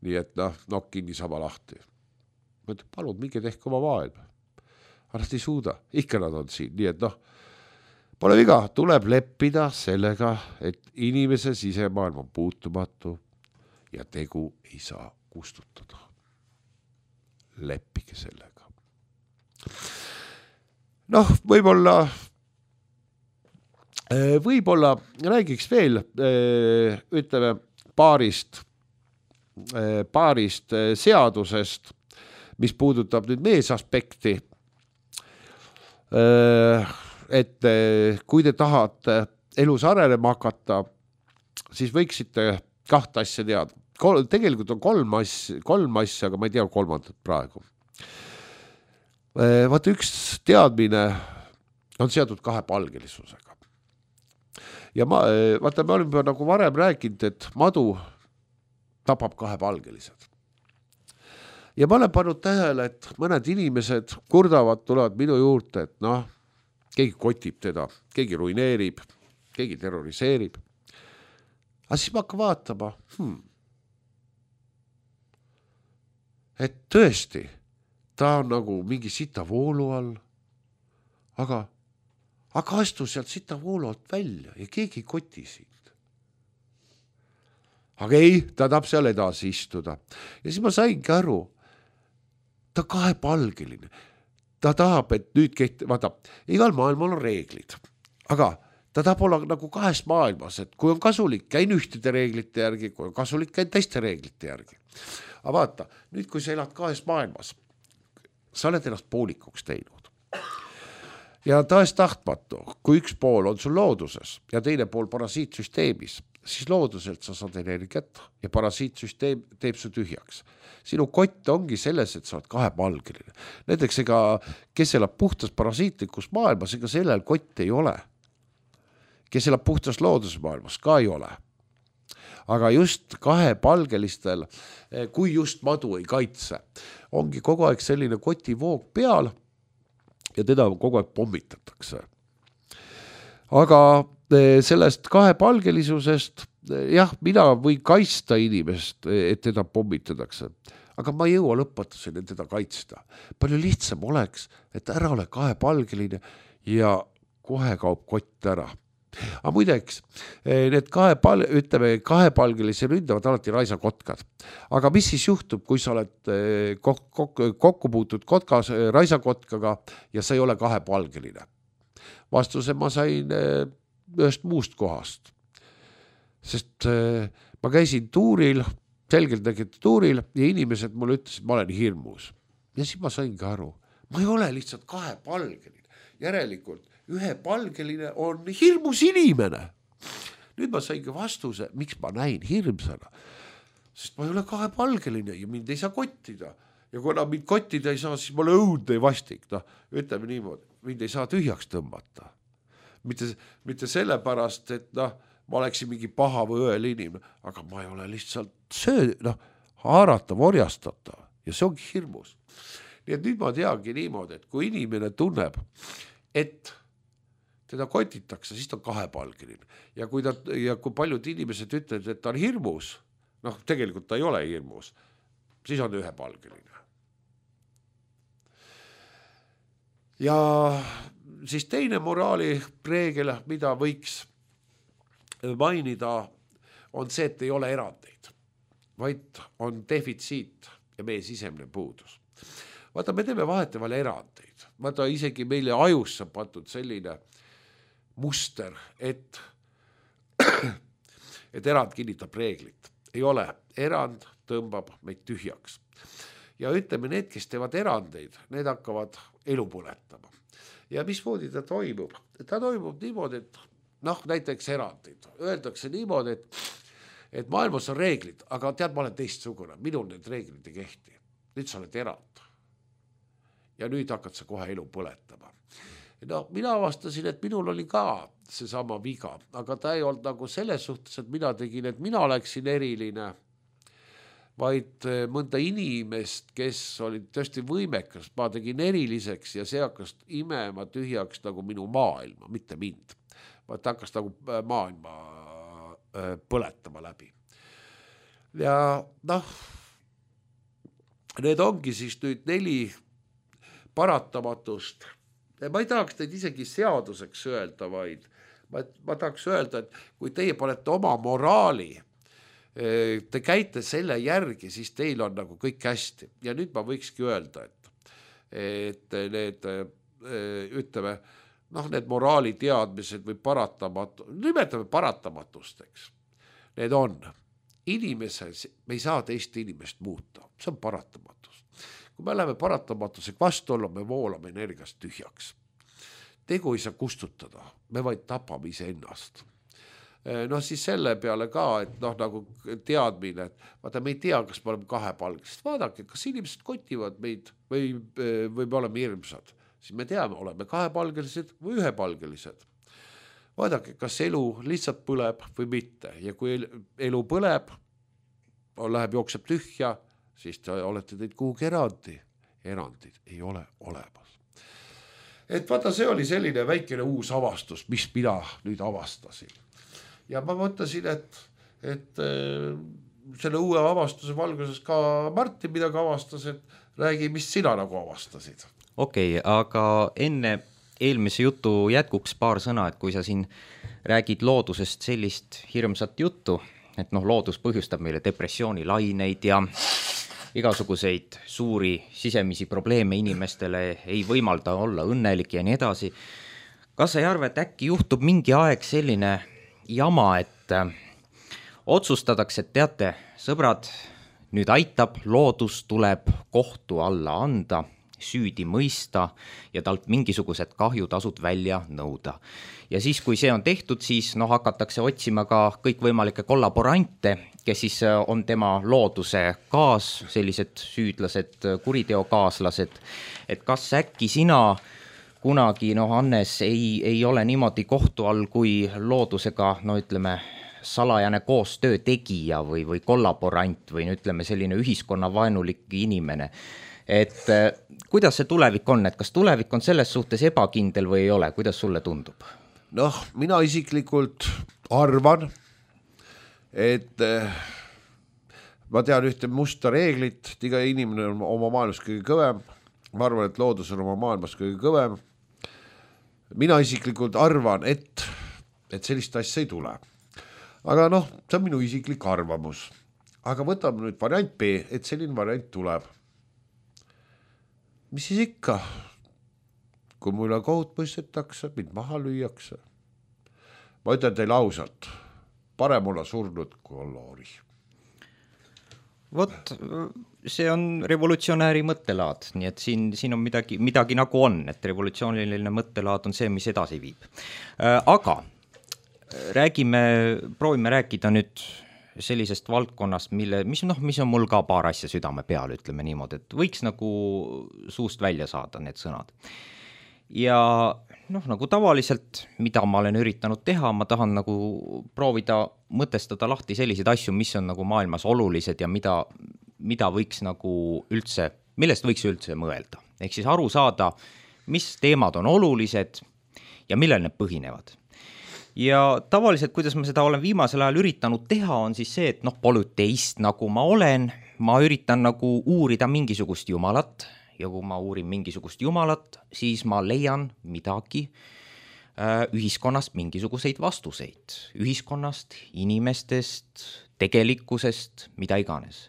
Nii et noh, nokk kinni sama lahti. Ma ütlen, palun, minge tehke oma maailma. Aga nad ei suuda, ikka nad on siin. Nii et noh, pole viga, tuleb leppida sellega, et inimese sisemaailm on puutumatu ja tegu ei saa kustutada. Leppige sellega. Noh, võib-olla võib-olla räägiks veel, ütleme, paarist, paarist seadusest, mis puudutab nüüd meesaspekti. Et kui te tahate elus arenema hakata, siis võiksite kahte asja teada. Tegelikult on kolm asja, kolm asja, aga ma ei tea kolmandat praegu. Vaata, üks teadmine on seotud kahepalgelisusega. Ja ma, vaata, me oleme nagu varem rääkinud, et madu tapab kahepalgelised. Ja ma olen pannud tähele, et mõned inimesed kurdavad, tulevad minu juurde, et noh, keegi kotib teda, keegi ruineerib, keegi terroriseerib. Aga siis ma hakkan vaatama, hmm, et tõesti, ta on nagu mingi sita voolu all, aga, aga astu sealt sita voolu alt välja ja keegi ei koti sind. Aga ei, ta tahab seal edasi istuda. Ja siis ma saingi aru, ta kahepalgeline. Ta tahab, et nüüd keht... vaata, igal maailmal on reeglid, aga ta tahab olla nagu kahes maailmas, et kui on kasulik, käin ühtede reeglite järgi, kui on kasulik, käin teiste reeglite järgi. Aga vaata, nüüd kui sa elad kahes maailmas, sa oled ennast poolikuks teinud. Ja taas tahtmatu, kui üks pool on sul looduses ja teine pool parasiitsüsteemis, siis looduselt sa saad energiat ja parasiitsüsteem teeb su tühjaks. Sinu kott ongi selles, et sa oled kahepalgeline. Näiteks ega, kes elab puhtas parasiitlikus maailmas, ega sellel kott ei ole. Kes elab puhtas loodusmaailmas, ka ei ole. Aga just kahepalgelistel, kui just madu ei kaitse, ongi kogu aeg selline kotivoog peal ja teda kogu aeg pommitatakse. Aga sellest kahepalgelisusest, jah, mina võin kaitsta inimest, et teda pommitatakse, aga ma ei jõua lõpetuseni teda kaitsta. Palju lihtsam oleks, et ära ole kahepalgeline ja kohe kaob kott ära. Aga muideks, need kahepal, ütleme, kahepalgelisi ründavad alati raisakotkad. Aga mis siis juhtub, kui sa oled kok- kok- kokku puutud kotkas, raisakotkaga ja sa ei ole kahepalgeline? Vastuse ma sain ühest muust kohast. Sest ma käisin tuuril, selgelt nägid tuuril ja inimesed mulle ütlesid, et ma olen hirmus. Ja siis ma saingi aru, ma ei ole lihtsalt kahepalgeline. Järelikult ühepalgeline on hirmus inimene. Nüüd ma saingi vastuse, miks ma näin hirmsana. Sest ma ei ole kahepalgeline ja mind ei saa kottida. Ja kuna mind kottida ei saa, siis ma olen õudne ja vastik. No, ütleme niimoodi, mind ei saa tühjaks tõmmata. Mitte, mitte sellepärast, et noh, ma oleksin mingi paha või õel inimene, aga ma ei ole lihtsalt söö, noh, haaratav, orjastatav ja see ongi hirmus. Nii et nüüd ma teagi niimoodi, et kui inimene tunneb, et teda kotitakse, siis ta on kahepalgeline. Ja kui, ta, ja kui paljud inimesed ütlevad, et ta on hirmus, noh, tegelikult ta ei ole hirmus, siis on ühepalgeline. Ja siis teine moraali reegel, mida võiks mainida, on see, et ei ole erandeid, vaid on defitsiit ja meie sisemine puudus. Vaata, me teeme vaheteval erandeid. Vaata, isegi meile ajusse patud selline muster, et, et erand kinnitab reeglit. Ei ole. Erand tõmbab meid tühjaks. Ja ütleme, need, kes teevad erandeid, need hakkavad elu põletama. Ja mismoodi ta toimub? Ta toimub niimoodi, et noh, näiteks erandid. Öeldakse niimoodi, et, et maailmas on reeglid, aga tead, ma olen teistsugune, minul need reeglid ei kehti. Nüüd sa oled erand. Ja nüüd hakkad sa kohe elu põletama. No, mina avastasin, et minul oli ka seesama viga, aga ta ei olnud nagu selles suhtes, et mina tegin, et mina oleksin eriline, vaid mõnda inimest, kes oli tõesti võimekas, ma tegin eriliseks ja see hakkas imema tühjaks nagu minu maailma, mitte mind. Vaid ta hakkas nagu maailma põletama läbi. Ja noh, need ongi siis nüüd neli paratamatust. Ma ei tahaks teid isegi seaduseks öelda, vaid ma, ma tahaks öelda, et kui teie panete oma moraali, te käite selle järgi, siis teil on nagu kõik hästi. Ja nüüd ma võikski öelda, et, et need, ütleme, noh, need moraali teadmised või paratamatu, nimetame paratamatusteks. Need on inimese, me ei saa teist inimest muuta, see on paratamatus. Kui me läheme paratamatusega vastu olla, me voolame energiast tühjaks. Tegu ei saa kustutada, me vaid tapame ise ennast. Noh, siis selle peale ka, et noh, nagu teadmine, et vaata, me ei tea, kas me oleme kahepalgelised. Vaadake, kas inimesed kotivad meid või, või me oleme hirmsad. Siis me teame, oleme kahepalgelised või ühepalgelised. Vaadake, kas elu lihtsalt põleb või mitte. Ja kui elu põleb, läheb jookseb tühja, siis te olete teid kuhugi erandi. Erandid ei ole olemas. Et vaata, see oli selline väikene uus avastus, mis mina nüüd avastasin. Ja ma mõtlesin, et, et selle uue avastuse valguses ka Martin midagi avastas, et räägi, mis sina nagu avastasid. Okei, okay, aga enne eelmise jutu jätkuks paar sõna, et kui sa siin räägid loodusest sellist hirmsat juttu, et noh, loodus põhjustab meile depressioonilaineid ja igasuguseid suuri sisemisi probleeme inimestele ei võimalda olla õnnelik ja nii edasi. Kas sa ei arva, et äkki juhtub mingi aeg selline jama, et äh, otsustatakse, et teate, sõbrad, nüüd aitab, loodus tuleb kohtu alla anda, süüdi mõista ja talt mingisugused kahjutasud välja nõuda. Ja siis, kui see on tehtud, siis no, hakatakse otsima ka kõikvõimalikke kollaborante, kes siis on tema looduse kaas, sellised süüdlased, kuriteokaaslased, et kas äkki sina kunagi, noh, Hannes, ei, ei ole niimoodi kohtu all, kui loodusega, no ütleme, salajane koostöö tegija või, või kollaborant või ütleme, selline ühiskonnavaenulik inimene. Et kuidas see tulevik on, et kas tulevik on selles suhtes ebakindel või ei ole, kuidas sulle tundub? Noh, mina isiklikult arvan, et ma tean ühte musta reeglit, et iga inimene on oma maailmas kõige kõvem, ma arvan, et loodus on oma maailmas kõige kõvem. Mina isiklikult arvan, et, et sellist asja ei tule. Aga noh, see on minu isiklik arvamus. Aga võtame nüüd variant B, et selline variant tuleb. Mis siis ikka? Kui mulle kohut mõistetakse, mind maha lüüakse. Ma ütlen teile ausalt, parem olla surnud kui olla ori. Vot, see on revolutsionääri mõttelaad, nii et siin, siin on midagi, midagi nagu on, et revolutsiooniline mõttelaad on see, mis edasi viib. Aga räägime, proovime rääkida nüüd sellisest valdkonnast, mille, mis, noh, mis on mul ka paar asja südame peal, ütleme niimoodi, et võiks nagu suust välja saada need sõnad. Ja noh, nagu tavaliselt, mida ma olen üritanud teha, ma tahan nagu proovida mõtestada lahti selliseid asju, mis on nagu maailmas olulised ja mida, mida võiks nagu üldse, millest võiks üldse mõelda. Ehk siis aru saada, mis teemad on olulised ja millel need põhinevad. Ja tavaliselt, kuidas ma seda olen viimasel ajal üritanud teha, on siis see, et noh, polüteist nagu ma olen, ma üritan nagu uurida mingisugust jumalat, ja kui ma uurin mingisugust jumalat, siis ma leian midagi äh, ühiskonnast mingisuguseid vastuseid. Ühiskonnast, inimestest, tegelikkusest, mida iganes.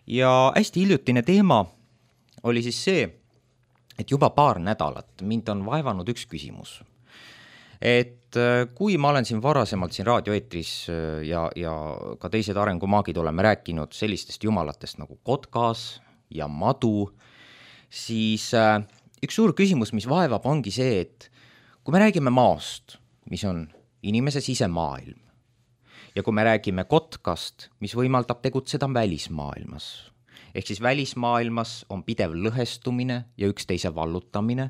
Ja hästi hiljutine teema oli siis see, et juba paar nädalat mind on vaevanud üks küsimus. Et äh, kui ma olen siin varasemalt siin raadioeetris äh, ja, ja ka teised arengumaagid oleme rääkinud sellistest jumalatest nagu Kotkas ja Madu, siis äh, üks suur küsimus, mis vaevab, ongi see, et kui me räägime maast, mis on inimese sisemaailm. Ja kui me räägime kotkast, mis võimaldab tegutseda välismaailmas, ehk siis välismaailmas on pidev lõhestumine ja üksteise vallutamine,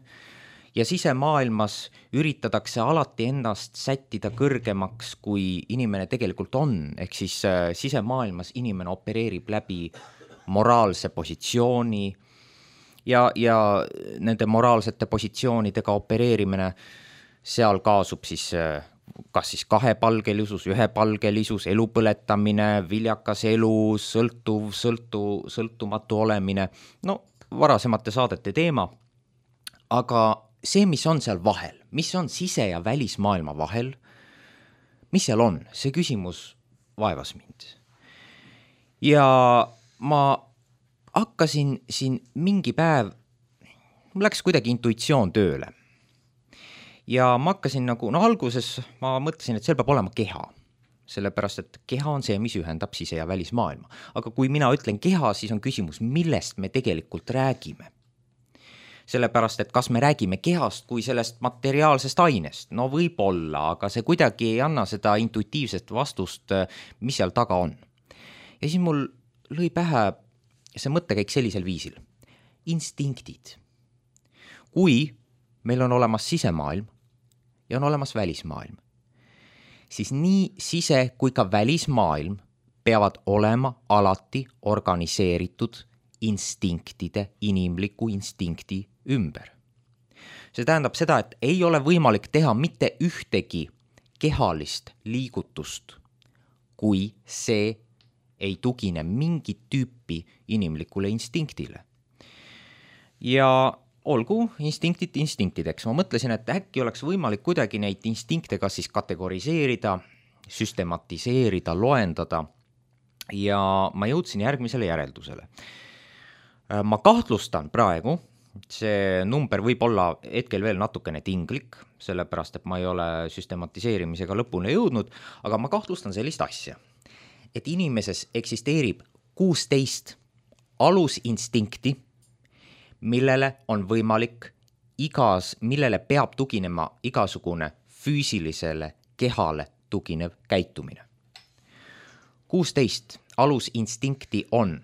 ja sisemaailmas üritatakse alati ennast sättida kõrgemaks, kui inimene tegelikult on, ehk siis sisemaailmas inimene opereerib läbi moraalse positsiooni ja, ja nende moraalsete positsioonidega opereerimine, seal kaasub siis kas siis kahepalgelisus, ühepalgelisus, elu põletamine, viljakas elu, sõltuv, sõltu, sõltumatu olemine, no varasemate saadete teema, aga see, mis on seal vahel, mis on sise- ja välismaailma vahel, mis seal on, see küsimus vaevas mind. Ja ma hakkasin siin mingi päev, mul läks kuidagi intuitsioon tööle. Ja ma hakkasin nagu, no alguses ma mõtlesin, et seal peab olema keha, sellepärast, et keha on see, mis ühendab sise- ja välismaailma. Aga kui mina ütlen keha, siis on küsimus, millest me tegelikult räägime. Sellepärast, et kas me räägime kehast kui sellest materiaalsest ainest, no võib olla, aga see kuidagi ei anna seda intuitiivset vastust, mis seal taga on. Ja siis mul lõi pähe see mõttekäik sellisel viisil. Instinktid. Kui meil on olemas sisemaailm ja on olemas välismaailm, siis nii sise- kui ka välismaailm peavad olema alati organiseeritud instinktide, inimliku instinkti ümber. See tähendab seda, et ei ole võimalik teha mitte ühtegi kehalist liigutust, kui see ei tugine mingit tüüpi inimlikule instinktile. Ja olgu instinktid instinktideks. Ma mõtlesin, et äkki oleks võimalik kuidagi neid instinkte kas siis kategoriseerida, süstematiseerida, loendada ja ma jõudsin järgmisele järeldusele. Ma kahtlustan praegu, see number võib olla hetkel veel natukene tinglik, sellepärast, et ma ei ole süstematiseerimisega lõpuni jõudnud, aga ma kahtlustan sellist asja, et inimeses eksisteerib kuusteist alusinstinkti, millele on võimalik igas, millele peab tuginema igasugune füüsilisele kehale tuginev käitumine. kuusteist alusinstinkti on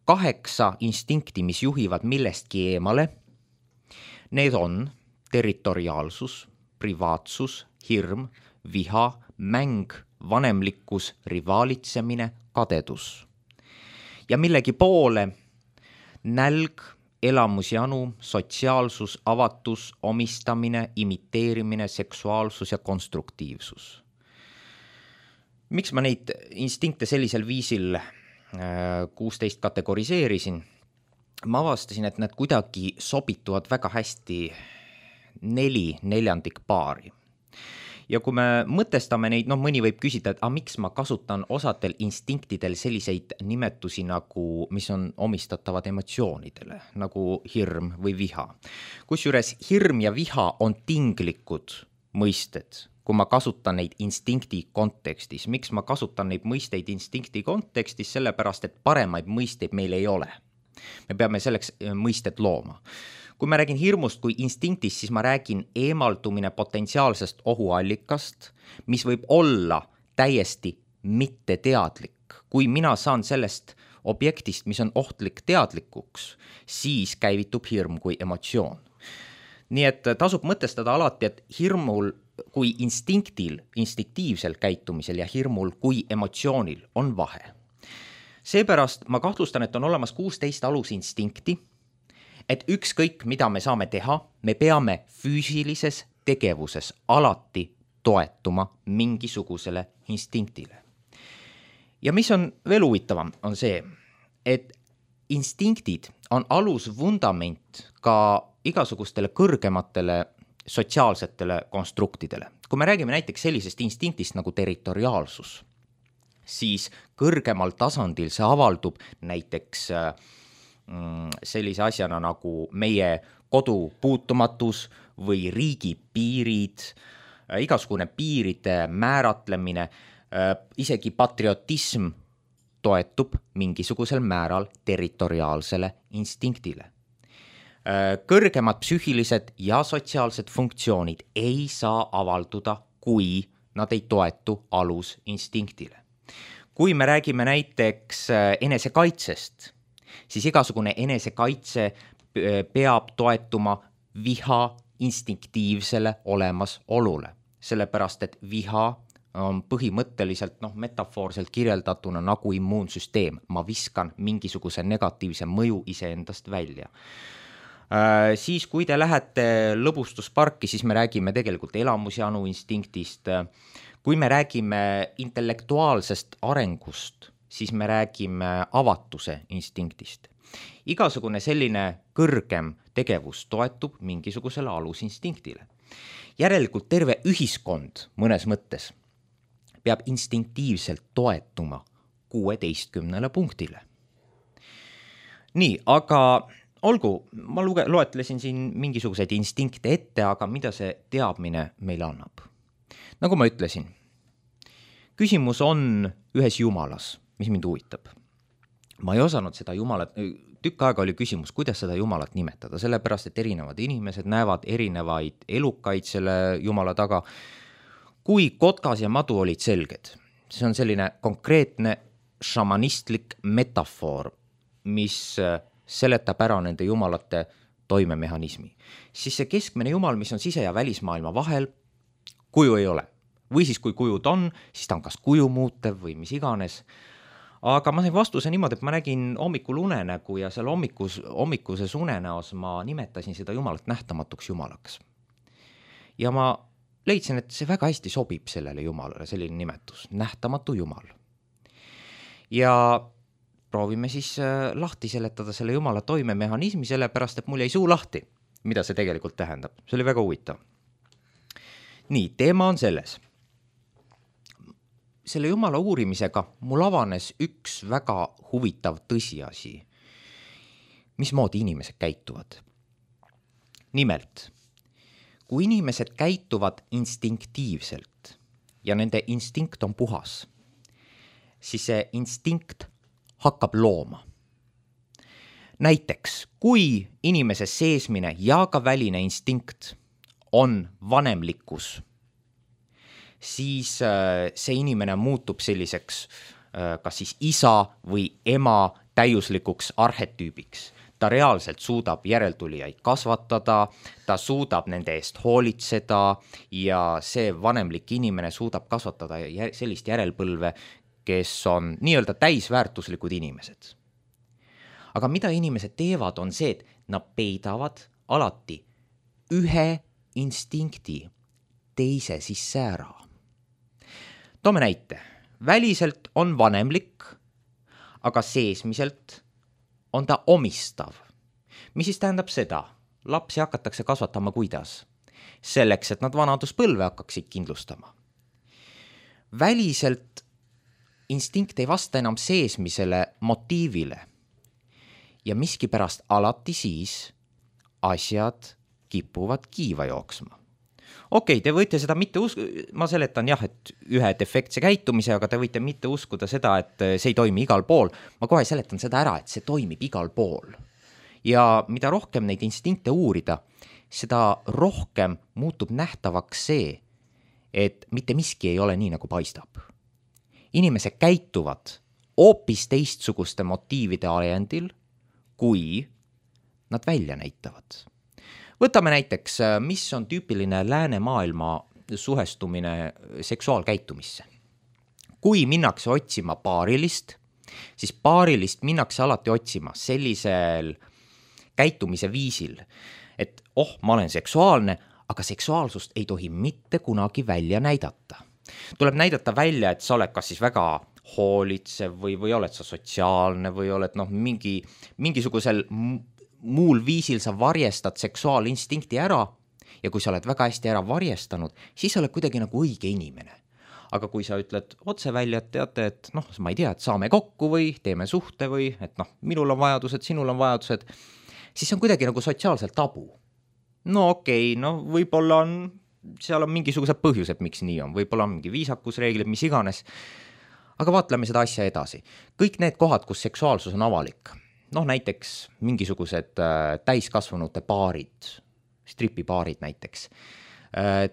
kaheksa instinkti, mis juhivad millestki eemale. Need on territoriaalsus, privaatsus, hirm, viha, mäng, vanemlikkus, rivaalitsemine, kadedus. Ja millegi poole nälg, elamusjanu, sotsiaalsus, avatus, omistamine, imiteerimine, seksuaalsus ja konstruktiivsus. Miks ma neid instinkte sellisel viisil kuusteist kategoriseerisin? Ma avastasin, et need kuidagi sobituvad väga hästi neli neljandik paari. Ja kui me mõtestame neid, noh mõni võib küsida, et a, miks ma kasutan osadel instinktidel selliseid nimetusi, nagu, mis on omistatavad emotsioonidele, nagu hirm või viha. Kusjuures hirm ja viha on tinglikud mõisted, kui ma kasutan neid instinkti kontekstis. Miks ma kasutan neid mõisteid instinkti kontekstis? Sellepärast, et paremaid mõisteid meil ei ole. Me peame selleks mõisted looma. Kui ma räägin hirmust kui instinktist, siis ma räägin eemaldumine potentsiaalsest ohuallikast, mis võib olla täiesti mitteteadlik. Kui mina saan sellest objektist, mis on ohtlik teadlikuks, siis käivitub hirm kui emotsioon. Nii et tasub mõtestada alati, et hirmul kui instinktil, instinktiivsel käitumisel ja hirmul kui emotsioonil on vahe. Seepärast ma kahtlustan, et on olemas kuusteist alusinstinkti, et ükskõik, mida me saame teha, me peame füüsilises tegevuses alati toetuma mingisugusele instinktile. Ja mis on veel huvitavam, on see, et instinktid on alusvundament ka igasugustele kõrgematele sotsiaalsetele konstruktidele. Kui me räägime näiteks sellisest instinktist nagu territoriaalsus, siis kõrgemal tasandil see avaldub näiteks sellise asjana nagu meie kodu puutumatus või riigi piirid, igasugune piiride määratlemine, isegi patriotism toetub mingisugusel määral territoriaalsele instinktile. Kõrgemad psüühilised ja sotsiaalsed funktsioonid ei saa avalduda, kui nad ei toetu alusinstinktile. Kui me räägime näiteks enesekaitsest, siis igasugune enesekaitse peab toetuma viha instinktiivsele olemasolule, sellepärast et viha on põhimõtteliselt noh, metafoorselt kirjeldatuna nagu immuunsüsteem. Ma viskan mingisuguse negatiivse mõju iseendast välja. Äh, siis kui te lähete lõbustusparki, siis me räägime tegelikult elamusjanu instinktist. Kui me räägime intellektuaalsest arengust, siis me räägime avatuse instinktist. Igasugune selline kõrgem tegevus toetub mingisugusele alusinstinktile. Järelikult terve ühiskond mõnes mõttes peab instinktiivselt toetuma kuueteistkümnele punktile. Nii, aga olgu, ma luge, loetlesin siin mingisuguseid instinkte ette, aga mida see teadmine meile annab? Nagu ma ütlesin, küsimus on ühes jumalas, mis mind huvitab. Ma ei osanud seda jumalat, tükk aega oli küsimus, kuidas seda jumalat nimetada, sellepärast, et erinevad inimesed näevad erinevaid elukaid selle jumala taga. Kui kotkas ja madu olid selged, see on selline konkreetne šamanistlik metafoor, mis seletab ära nende jumalate toimemehhanismi. Siis see keskmine jumal, mis on sise- ja välismaailma vahel, kuju ei ole. Või siis kui kujud on, siis ta on kas kuju muutev või mis iganes. Aga ma sain vastuse niimoodi, et ma nägin hommikul unenägu ja seal hommikus, hommikuses unenäos ma nimetasin seda jumalat nähtamatuks jumalaks. Ja ma leidsin, et see väga hästi sobib sellele jumalale, selline nimetus, nähtamatu jumal. Ja proovime siis lahti seletada selle jumala toimemehhanismi, sellepärast, et mul jäi suu lahti, mida see tegelikult tähendab. See oli väga huvitav. Nii, teema on selles. Selle jumala uurimisega mul avanes üks väga huvitav tõsiasi, mismoodi inimesed käituvad. Nimelt, kui inimesed käituvad instinktiivselt ja nende instinkt on puhas, siis see instinkt hakkab looma. Näiteks, kui inimese seesmine ja ka väline instinkt on vanemlikkus, siis see inimene muutub selliseks kas siis isa või ema täiuslikuks arhetüübiks. Ta reaalselt suudab järeltulijaid kasvatada, ta suudab nende eest hoolitseda ja see vanemlik inimene suudab kasvatada sellist järelpõlve, kes on nii-öelda täisväärtuslikud inimesed. Aga mida inimesed teevad, on see, et nad peidavad alati ühe instinkti teise sisse ära. Toome näite. Väliselt on vanemlik, aga seesmiselt on ta omistav. Mis siis tähendab seda? Lapsi hakatakse kasvatama kuidas? Selleks, et nad vanaduspõlve hakkaksid kindlustama. Väliselt instinkt ei vasta enam seesmisele motiivile. Ja miskipärast alati siis asjad kipuvad kiiva jooksma. Okei, te võite seda mitte uskuda, ma seletan jah, et ühe defektse käitumise, aga te võite mitte uskuda seda, et see ei toimi igal pool. Ma kohe seletan seda ära, et see toimib igal pool. Ja mida rohkem neid instinkte uurida, seda rohkem muutub nähtavaks see, et mitte miski ei ole nii, nagu paistab. Inimesed käituvad hoopis teistsuguste motiivide ajendil, kui nad välja näitavad. Võtame näiteks, mis on tüüpiline läänemaailma suhestumine seksuaalkäitumisse. Kui minnakse otsima paarilist, siis paarilist minnakse alati otsima sellisel käitumise viisil, et oh, ma olen seksuaalne, aga seksuaalsust ei tohi mitte kunagi välja näidata. Tuleb näidata välja, et sa oled kas siis väga hoolitsev või, või oled sa sotsiaalne või oled noh, mingi, mingisugusel muul viisil sa varjestad seksuaalinstinkti ära ja kui sa oled väga hästi ära varjestanud, siis sa oled kuidagi nagu õige inimene. Aga kui sa ütled otse välja, et teate, et noh, ma ei tea, et saame kokku või teeme suhte või et noh, minul on vajadused, sinul on vajadused, siis on kuidagi nagu sotsiaalselt tabu. No okei, okay, no võib-olla on, seal on mingisugused põhjused, miks nii on, võib-olla on mingi viisakusreeglid, mis iganes, aga vaatleme seda asja edasi. Kõik need kohad, kus seksuaalsus on avalik, noh näiteks mingisugused äh, täiskasvanute paarid, stripipaarid näiteks,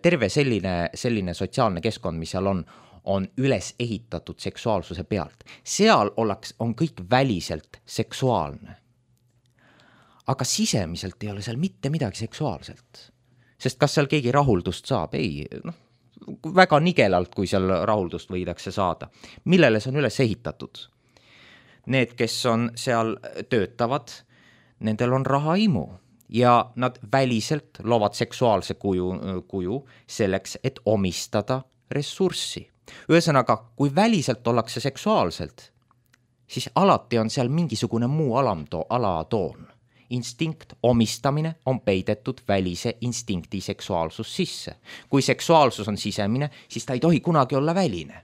terve selline, selline sotsiaalne keskkond, mis seal on, on üles ehitatud seksuaalsuse pealt. Seal oleks, on kõik väliselt seksuaalne. Aga sisemiselt ei ole seal mitte midagi seksuaalselt. Sest kas seal keegi rahuldust saab? Ei, noh, väga nigelalt, kui seal rahuldust võidakse saada. Millele see on üles ehitatud? Need, kes on seal töötavad, nendel on rahaimu ja nad väliselt loovad seksuaalse kuju, kuju selleks, et omistada ressurssi. Ühesõnaga, kui väliselt ollakse seksuaalselt, siis alati on seal mingisugune muu alamto, alatoon. Instinkt, omistamine on peidetud välise instinkti seksuaalsus sisse. Kui seksuaalsus on sisemine, siis ta ei tohi kunagi olla väline.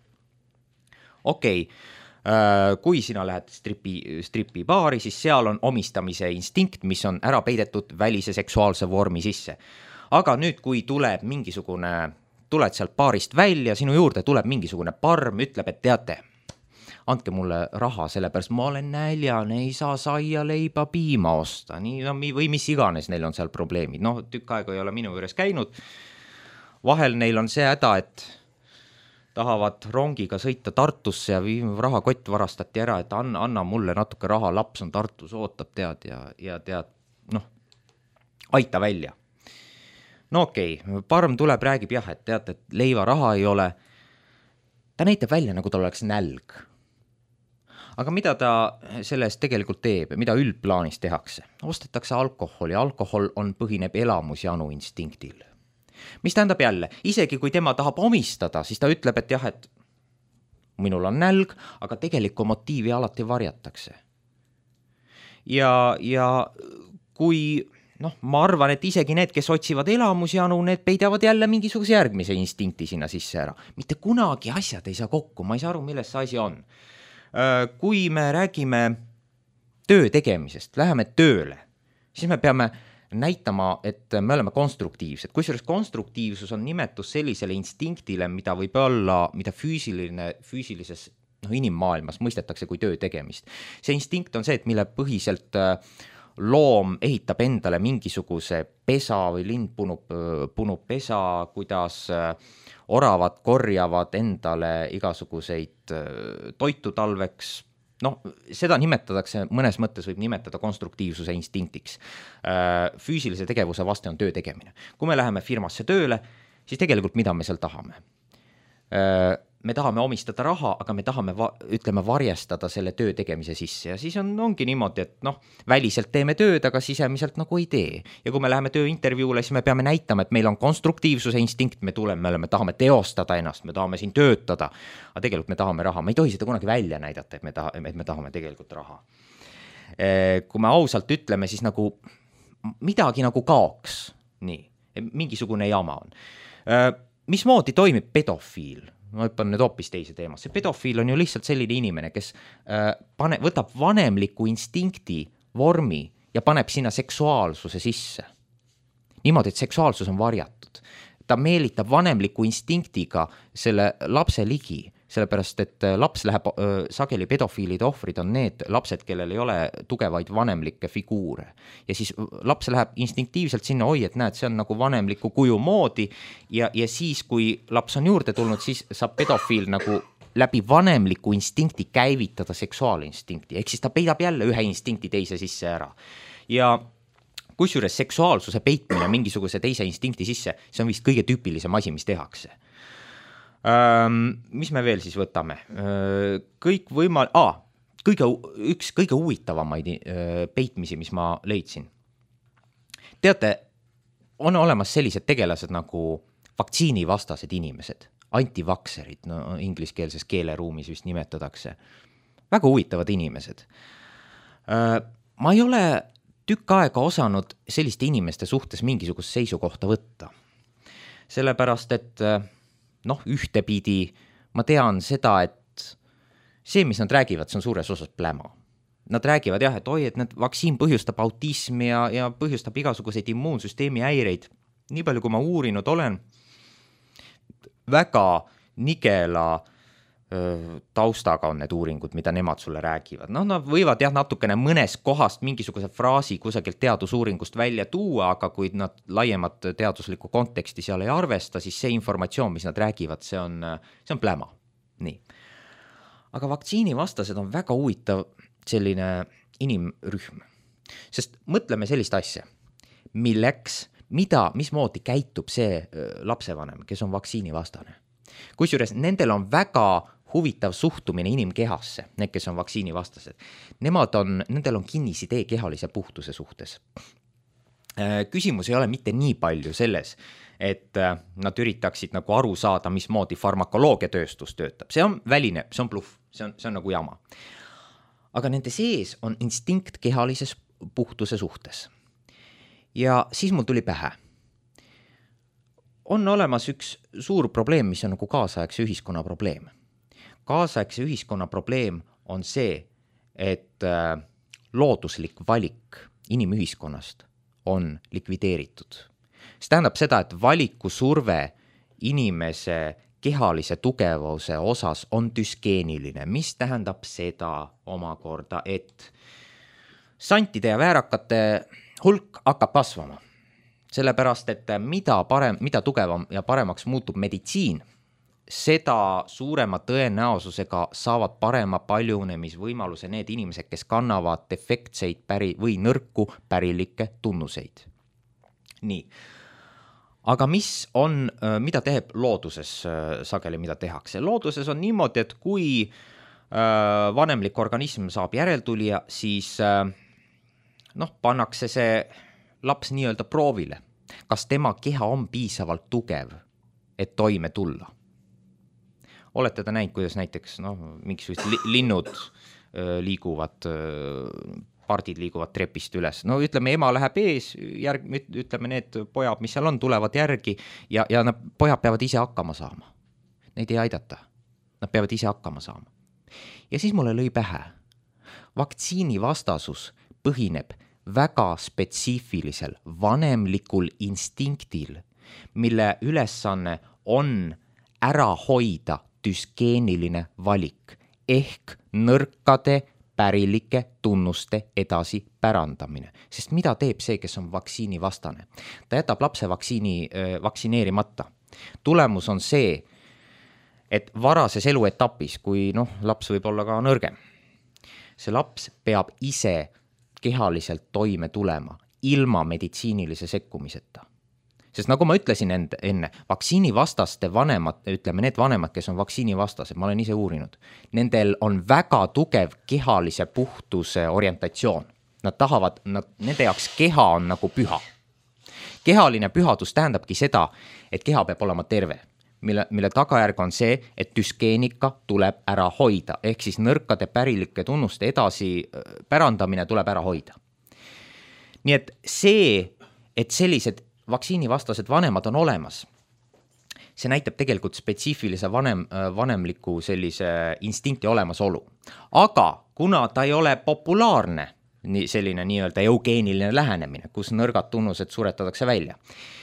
Okei, okay. Kui sina lähed stripi, stripi baari, siis seal on omistamise instinkt, mis on ära peidetud välise seksuaalse vormi sisse. Aga nüüd, kui tuleb mingisugune, tuled sealt baarist välja, sinu juurde tuleb mingisugune parm, ütleb, et teate, andke mulle raha, sellepärast ma olen näljane, ei saa saia, leiba, piima osta, nii, no, või mis iganes neil on seal probleemid. No, tükk aega ei ole minu juures käinud. Vahel neil on see häda, et tahavad rongiga sõita Tartusse ja rahakott varastati ära, et anna, anna mulle natuke raha, laps on Tartus, ootab, tead, ja, ja tead, noh, aita välja. No okei, okay. Parm tuleb, räägib jah, et tead, et leiva raha ei ole. Ta näitab välja, nagu ta oleks nälg. Aga mida ta sellest tegelikult teeb, mida üldplaanis tehakse? Ostetakse alkoholi, alkohol on põhineb elamusjanu instinktil. Mis tähendab jälle, isegi kui tema tahab omistada, siis ta ütleb, et jah, et minul on nälg, aga tegelikku motiivi alati varjatakse. Ja, ja kui, noh, ma arvan, et isegi need, kes otsivad elamusjanu, need peidavad jälle mingisuguse järgmise instinkti sinna sisse ära. Mitte kunagi asjad ei saa kokku, ma ei saa aru, milles see asi on. Kui me räägime töö tegemisest, läheme tööle, siis me peame näitama, et me oleme konstruktiivsed. Kusjuures konstruktiivsus on nimetus sellisele instinktile, mida võib olla, mida füüsiline, füüsilises noh, inimmaailmas mõistetakse kui töö tegemist. See instinkt on see, et mille põhiselt loom ehitab endale mingisuguse pesa või lind punub, punub pesa, kuidas oravad korjavad endale igasuguseid toitu talveks. No, seda nimetatakse, mõnes mõttes võib nimetada konstruktiivsuse instinktiks. Füüsilise tegevuse vaste on töö tegemine. Kui me läheme firmasse tööle, siis tegelikult mida me seal tahame? Me tahame omistada raha, aga me tahame, ütleme, varjestada selle töö tegemise sisse ja siis on, ongi niimoodi, et noh, väliselt teeme tööd, aga sisemiselt nagu ei tee. Ja kui me läheme tööintervjuule, siis me peame näitama, et meil on konstruktiivsuse instinkt, me tuleme, me tahame teostada ennast, me tahame siin töötada, aga tegelikult me tahame raha. Me ei tohi seda kunagi välja näidata, et me, taha, et me tahame tegelikult raha. Kui me ausalt ütleme, siis nagu midagi nagu kaoks. Nii, mingisugune jama on. Mismoodi toimib pedofiil? Ma hüppan nüüd hoopis teise teemasse. Pedofiil on ju lihtsalt selline inimene, kes äh, pane, võtab vanemliku instinkti vormi ja paneb sinna seksuaalsuse sisse. Niimoodi, et seksuaalsus on varjatud. Ta meelitab vanemliku instinktiga selle lapse ligi, sellepärast, et laps läheb, äh, sageli pedofiilide ohvrid on need lapsed, kellel ei ole tugevaid vanemlikke figuure. Ja siis laps läheb instinktiivselt sinna, oi, et näed, see on nagu vanemliku kuju moodi ja, ja siis, kui laps on juurde tulnud, siis saab pedofiil nagu läbi vanemliku instinkti käivitada seksuaalinstinkti. Ehk siis ta peidab jälle ühe instinkti teise sisse ära. Ja kusjuures seksuaalsuse peitmine mingisuguse teise instinkti sisse, see on vist kõige tüüpilisem asi, mis tehakse. Ähm, mis me veel siis võtame? Kõik võimal... Ah, kõige, üks kõige huvitavamaid peitmisi, mis ma leidsin. Teate, on olemas sellised tegelased nagu vaktsiinivastased inimesed, antivakserid, no ingliskeelses keeleruumis vist nimetatakse. Väga huvitavad inimesed. Ma ei ole tükk aega osanud selliste inimeste suhtes mingisugust seisukohta võtta. Sellepärast, et noh, ühtepidi ma tean seda, et see, mis nad räägivad, see on suures osas pläma. Nad räägivad jah, et oi, et need vaktsiin põhjustab autismi ja, ja põhjustab igasuguseid immuunsüsteemi häireid. Nii palju, kui ma uurinud olen, väga nigela taustaga on need uuringud, mida nemad sulle räägivad. No nad võivad jah natukene mõnest kohast mingisuguse fraasi kusagilt teadusuuringust välja tuua, aga kui nad laiemat teaduslikku konteksti seal ei arvesta, siis see informatsioon, mis nad räägivad, see on, see on pläma. Nii. Aga vaktsiinivastased on väga huvitav selline inimrühm. Sest mõtleme sellist asja, milleks, mida, mismoodi käitub see lapsevanem, kes on vaktsiinivastane. Kusjuures nendel on väga huvitav suhtumine inimkehasse, need, kes on vaktsiinivastased. Nemad on, nendel on kinnisidee kehalise puhtuse suhtes. Küsimus ei ole mitte nii palju selles, et nad üritaksid nagu aru saada, mismoodi farmakoloogiatööstus töötab. See on väline, see on bluff, see on, see on nagu jama. Aga nende sees on instinkt kehalises puhtuse suhtes. Ja siis mul tuli pähe. On olemas üks suur probleem, mis on nagu kaasaegse ühiskonna probleem. Kaasaegse ühiskonna probleem on see, et looduslik valik inimühiskonnast on likvideeritud. See tähendab seda, et valiku surve inimese kehalise tugevuse osas on düskeeniline, mis tähendab seda omakorda, et santide ja väärakate hulk hakkab kasvama. Sellepärast, et mida, parem, mida tugevam ja paremaks muutub meditsiin, seda suurema tõenäosusega saavad parema paljunemisvõimaluse need inimesed, kes kannavad defektseid päri, või nõrku pärilikke tunnuseid. Nii. Aga mis on, mida teeb looduses sageli, mida tehakse? Looduses on niimoodi, et kui vanemlik organism saab järeltulija, siis noh, pannakse see laps nii-öelda proovile. Kas tema keha on piisavalt tugev, et toime tulla? Olete te näinud, kuidas näiteks no, mingisugused li- linnud öö, liiguvad, öö, pardid liiguvad trepist üles. No ütleme, ema läheb ees, järg, ütleme, need pojad, mis seal on, tulevad järgi ja, ja nad, pojad peavad ise hakkama saama. Neid ei aidata. Nad peavad ise hakkama saama. Ja siis mulle lõi pähe. Vaktsiinivastasus põhineb väga spetsiifilisel vanemlikul instinktil, mille ülesanne on ära hoida düskeeniline valik ehk nõrkade pärilike tunnuste edasi pärandamine. Sest mida teeb see, kes on vaktsiinivastane? Ta jätab lapse vaktsiini, vaktsineerimata. Tulemus on see, et varases eluetapis, kui noh, laps võib olla ka nõrgem, see laps peab ise kehaliselt toime tulema ilma meditsiinilise sekkumiseta. Sest nagu ma ütlesin enne, enne vaktsiinivastaste vanemad, ütleme need vanemad, kes on vaktsiinivastased, ma olen ise uurinud, nendel on väga tugev kehalise puhtuse orientatsioon. Nad tahavad, nad, nende jaoks keha on nagu püha. Kehaline pühadus tähendabki seda, et keha peab olema terve. Mille, mille tagajärg on see, et düskeenika tuleb ära hoida, ehk siis nõrkade pärilike tunnuste edasi pärandamine tuleb ära hoida. Nii et see, et sellised vaktsiinivastased vanemad on olemas, see näitab tegelikult spetsiifilise vanem, vanemliku sellise instinkti olemasolu. Aga kuna ta ei ole populaarne, selline nii-öelda eugeeniline lähenemine, kus nõrgad tunnused suretatakse välja,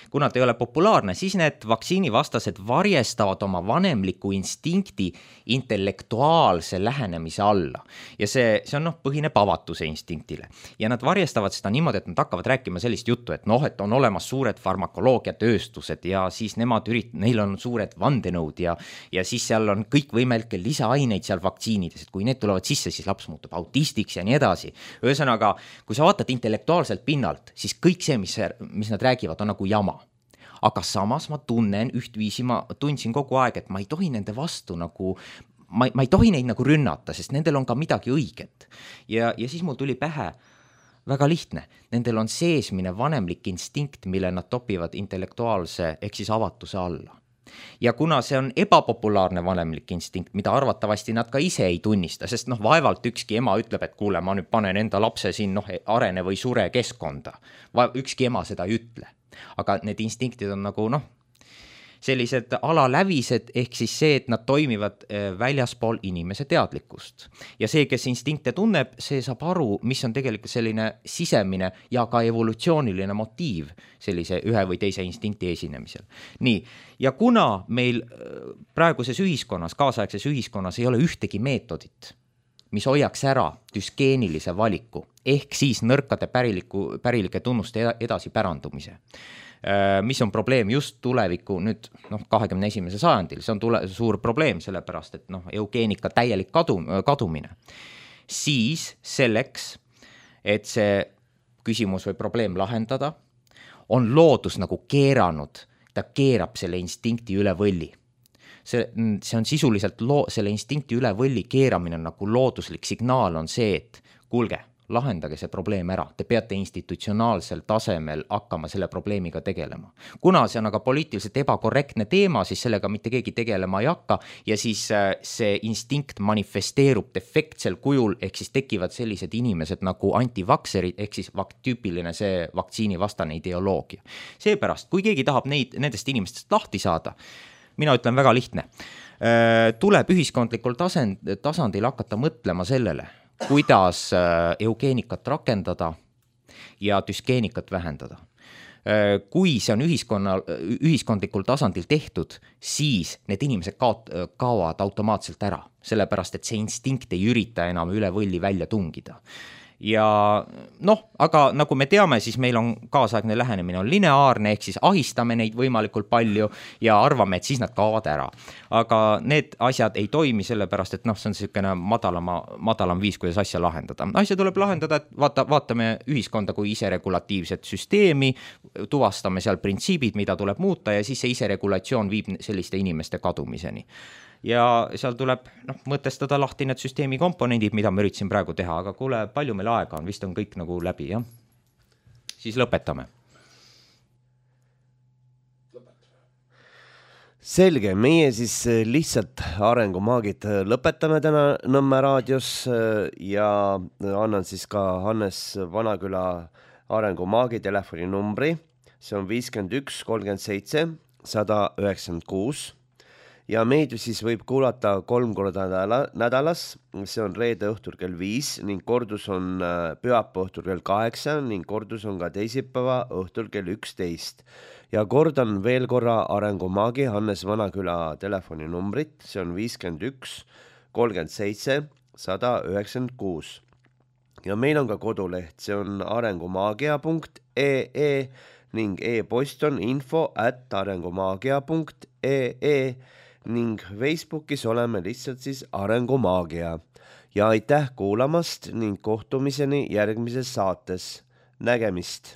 kuna ta ei ole populaarne, siis need vaktsiinivastased varjestavad oma vanemliku instinkti intellektuaalse lähenemise alla. Ja see, see on noh, põhineb avatuse instinktile. Ja nad varjestavad seda niimoodi, et nad hakkavad rääkima sellist juttu, et noh, et on olemas suured farmakoloogiatööstused ja siis nemad ürit-, neil on suured vandenõud ja, ja siis seal on kõikvõimalikke lisaaineid seal vaktsiinides, et kui need tulevad sisse, siis laps muutub autistiks ja nii edasi. Ühesõnaga, kui sa vaatad intellektuaalselt pinnalt, siis kõik see, mis, mis nad räägivad, on nagu jama. Aga samas ma tunnen ühtviisi, ma tundsin kogu aeg, et ma ei tohi nende vastu nagu, ma, ma ei tohi neid nagu rünnata, sest nendel on ka midagi õiget. Ja, ja siis mul tuli pähe väga lihtne. Nendel on seesmine vanemlik instinkt, mille nad topivad intellektuaalse ehk siis avatuse alla. Ja kuna see on ebapopulaarne vanemlik instinkt, mida arvatavasti nad ka ise ei tunnista, sest noh, vaevalt ükski ema ütleb, et kuule, ma nüüd panen enda lapse siin noh, arene või sure keskkonda. Ükski ema seda ei ütle. Aga need instinktid on nagu noh, sellised alalävised, ehk siis see, et nad toimivad väljaspool inimese teadlikkust. Ja see, kes instinkte tunneb, see saab aru, mis on tegelikult selline sisemine ja ka evolutsiooniline motiiv sellise ühe või teise instinkti esinemisel. Nii, ja kuna meil praeguses ühiskonnas, kaasaegses ühiskonnas ei ole ühtegi meetodit, mis hoiaks ära düskeenilise valiku, ehk siis nõrkade päriliku, pärilike tunnuste edasi pärandumise, mis on probleem just tuleviku nüüd noh, kahekümne esimese sajandil, see on tule, suur probleem sellepärast, et noh, eugeenika täielik kadu, kadumine. Siis selleks, et see küsimus või probleem lahendada, on loodus nagu keeranud, ta keerab selle instinkti üle võlli. See, see on sisuliselt loo, selle instinkti üle võlli keeramine nagu looduslik signaal on see, et kuulge, lahendage see probleem ära. Te peate institutsionaalsel tasemel hakkama selle probleemiga tegelema. Kuna see on aga poliitiliselt ebakorrektne teema, siis sellega mitte keegi tegelema ei hakka ja siis see instinkt manifesteerub defektsel kujul, ehk siis tekivad sellised inimesed nagu antivakserid, ehk siis vak- tüüpiline see vaktsiinivastane ideoloogia. Seepärast, kui keegi tahab neid, nendest inimestest lahti saada, mina ütlen väga lihtne, tuleb ühiskondlikul tasand, tasandil hakata mõtlema sellele, kuidas eugeenikat rakendada ja düskeenikat vähendada. Kui see on ühiskonna, ühiskondlikul tasandil tehtud, siis need inimesed kaot, kaovad automaatselt ära, sellepärast et see instinkt ei ürita enam üle võlli välja tungida. Ja noh, aga nagu me teame, siis meil on kaasaegne lähenemine on lineaarne, ehk siis ahistame neid võimalikult palju ja arvame, et siis nad kaovad ära. Aga need asjad ei toimi sellepärast, et noh, see on selline madalama, madalam viis, kuidas asja lahendada. Asja tuleb lahendada, et vaata, vaatame ühiskonda kui iseregulatiivset süsteemi, tuvastame seal printsiibid, mida tuleb muuta ja siis see iseregulatsioon viib selliste inimeste kadumiseni. Ja seal tuleb noh, mõtestada lahti need süsteemi komponendid, mida ma üritasin praegu teha, aga kuule, palju meil aega on, vist on kõik nagu läbi, jah? Siis lõpetame. Selge, meie siis lihtsalt arengumaagid lõpetame täna Nõmme raadios ja annan siis ka Hannes Vanaküla arengumaagi telefoninumbri, see on viiskümmend üks kolmkümmend seitse sada üheksakümmend kuus. Ja meid siis võib kuulata kolm korda nädalas, see on reede õhtul kell viis ning kordus on pühapäeva õhtul kell kaheksa ning kordus on ka teisipäeva õhtul kell üksteist. Ja kordan veel korra arengumaagi Hannes Vanaküla telefoninumbrit, see on viiskümmend üks kolmkümmend seitse sada üheksakümmend kuus. Ja meil on ka koduleht, see on arengumaagia punkt ee ning e-post on info at arengumaagia punkt ee ning Facebookis oleme lihtsalt siis Arengumaagia. Ja aitäh kuulamast ning kohtumiseni järgmises saates. Nägemist!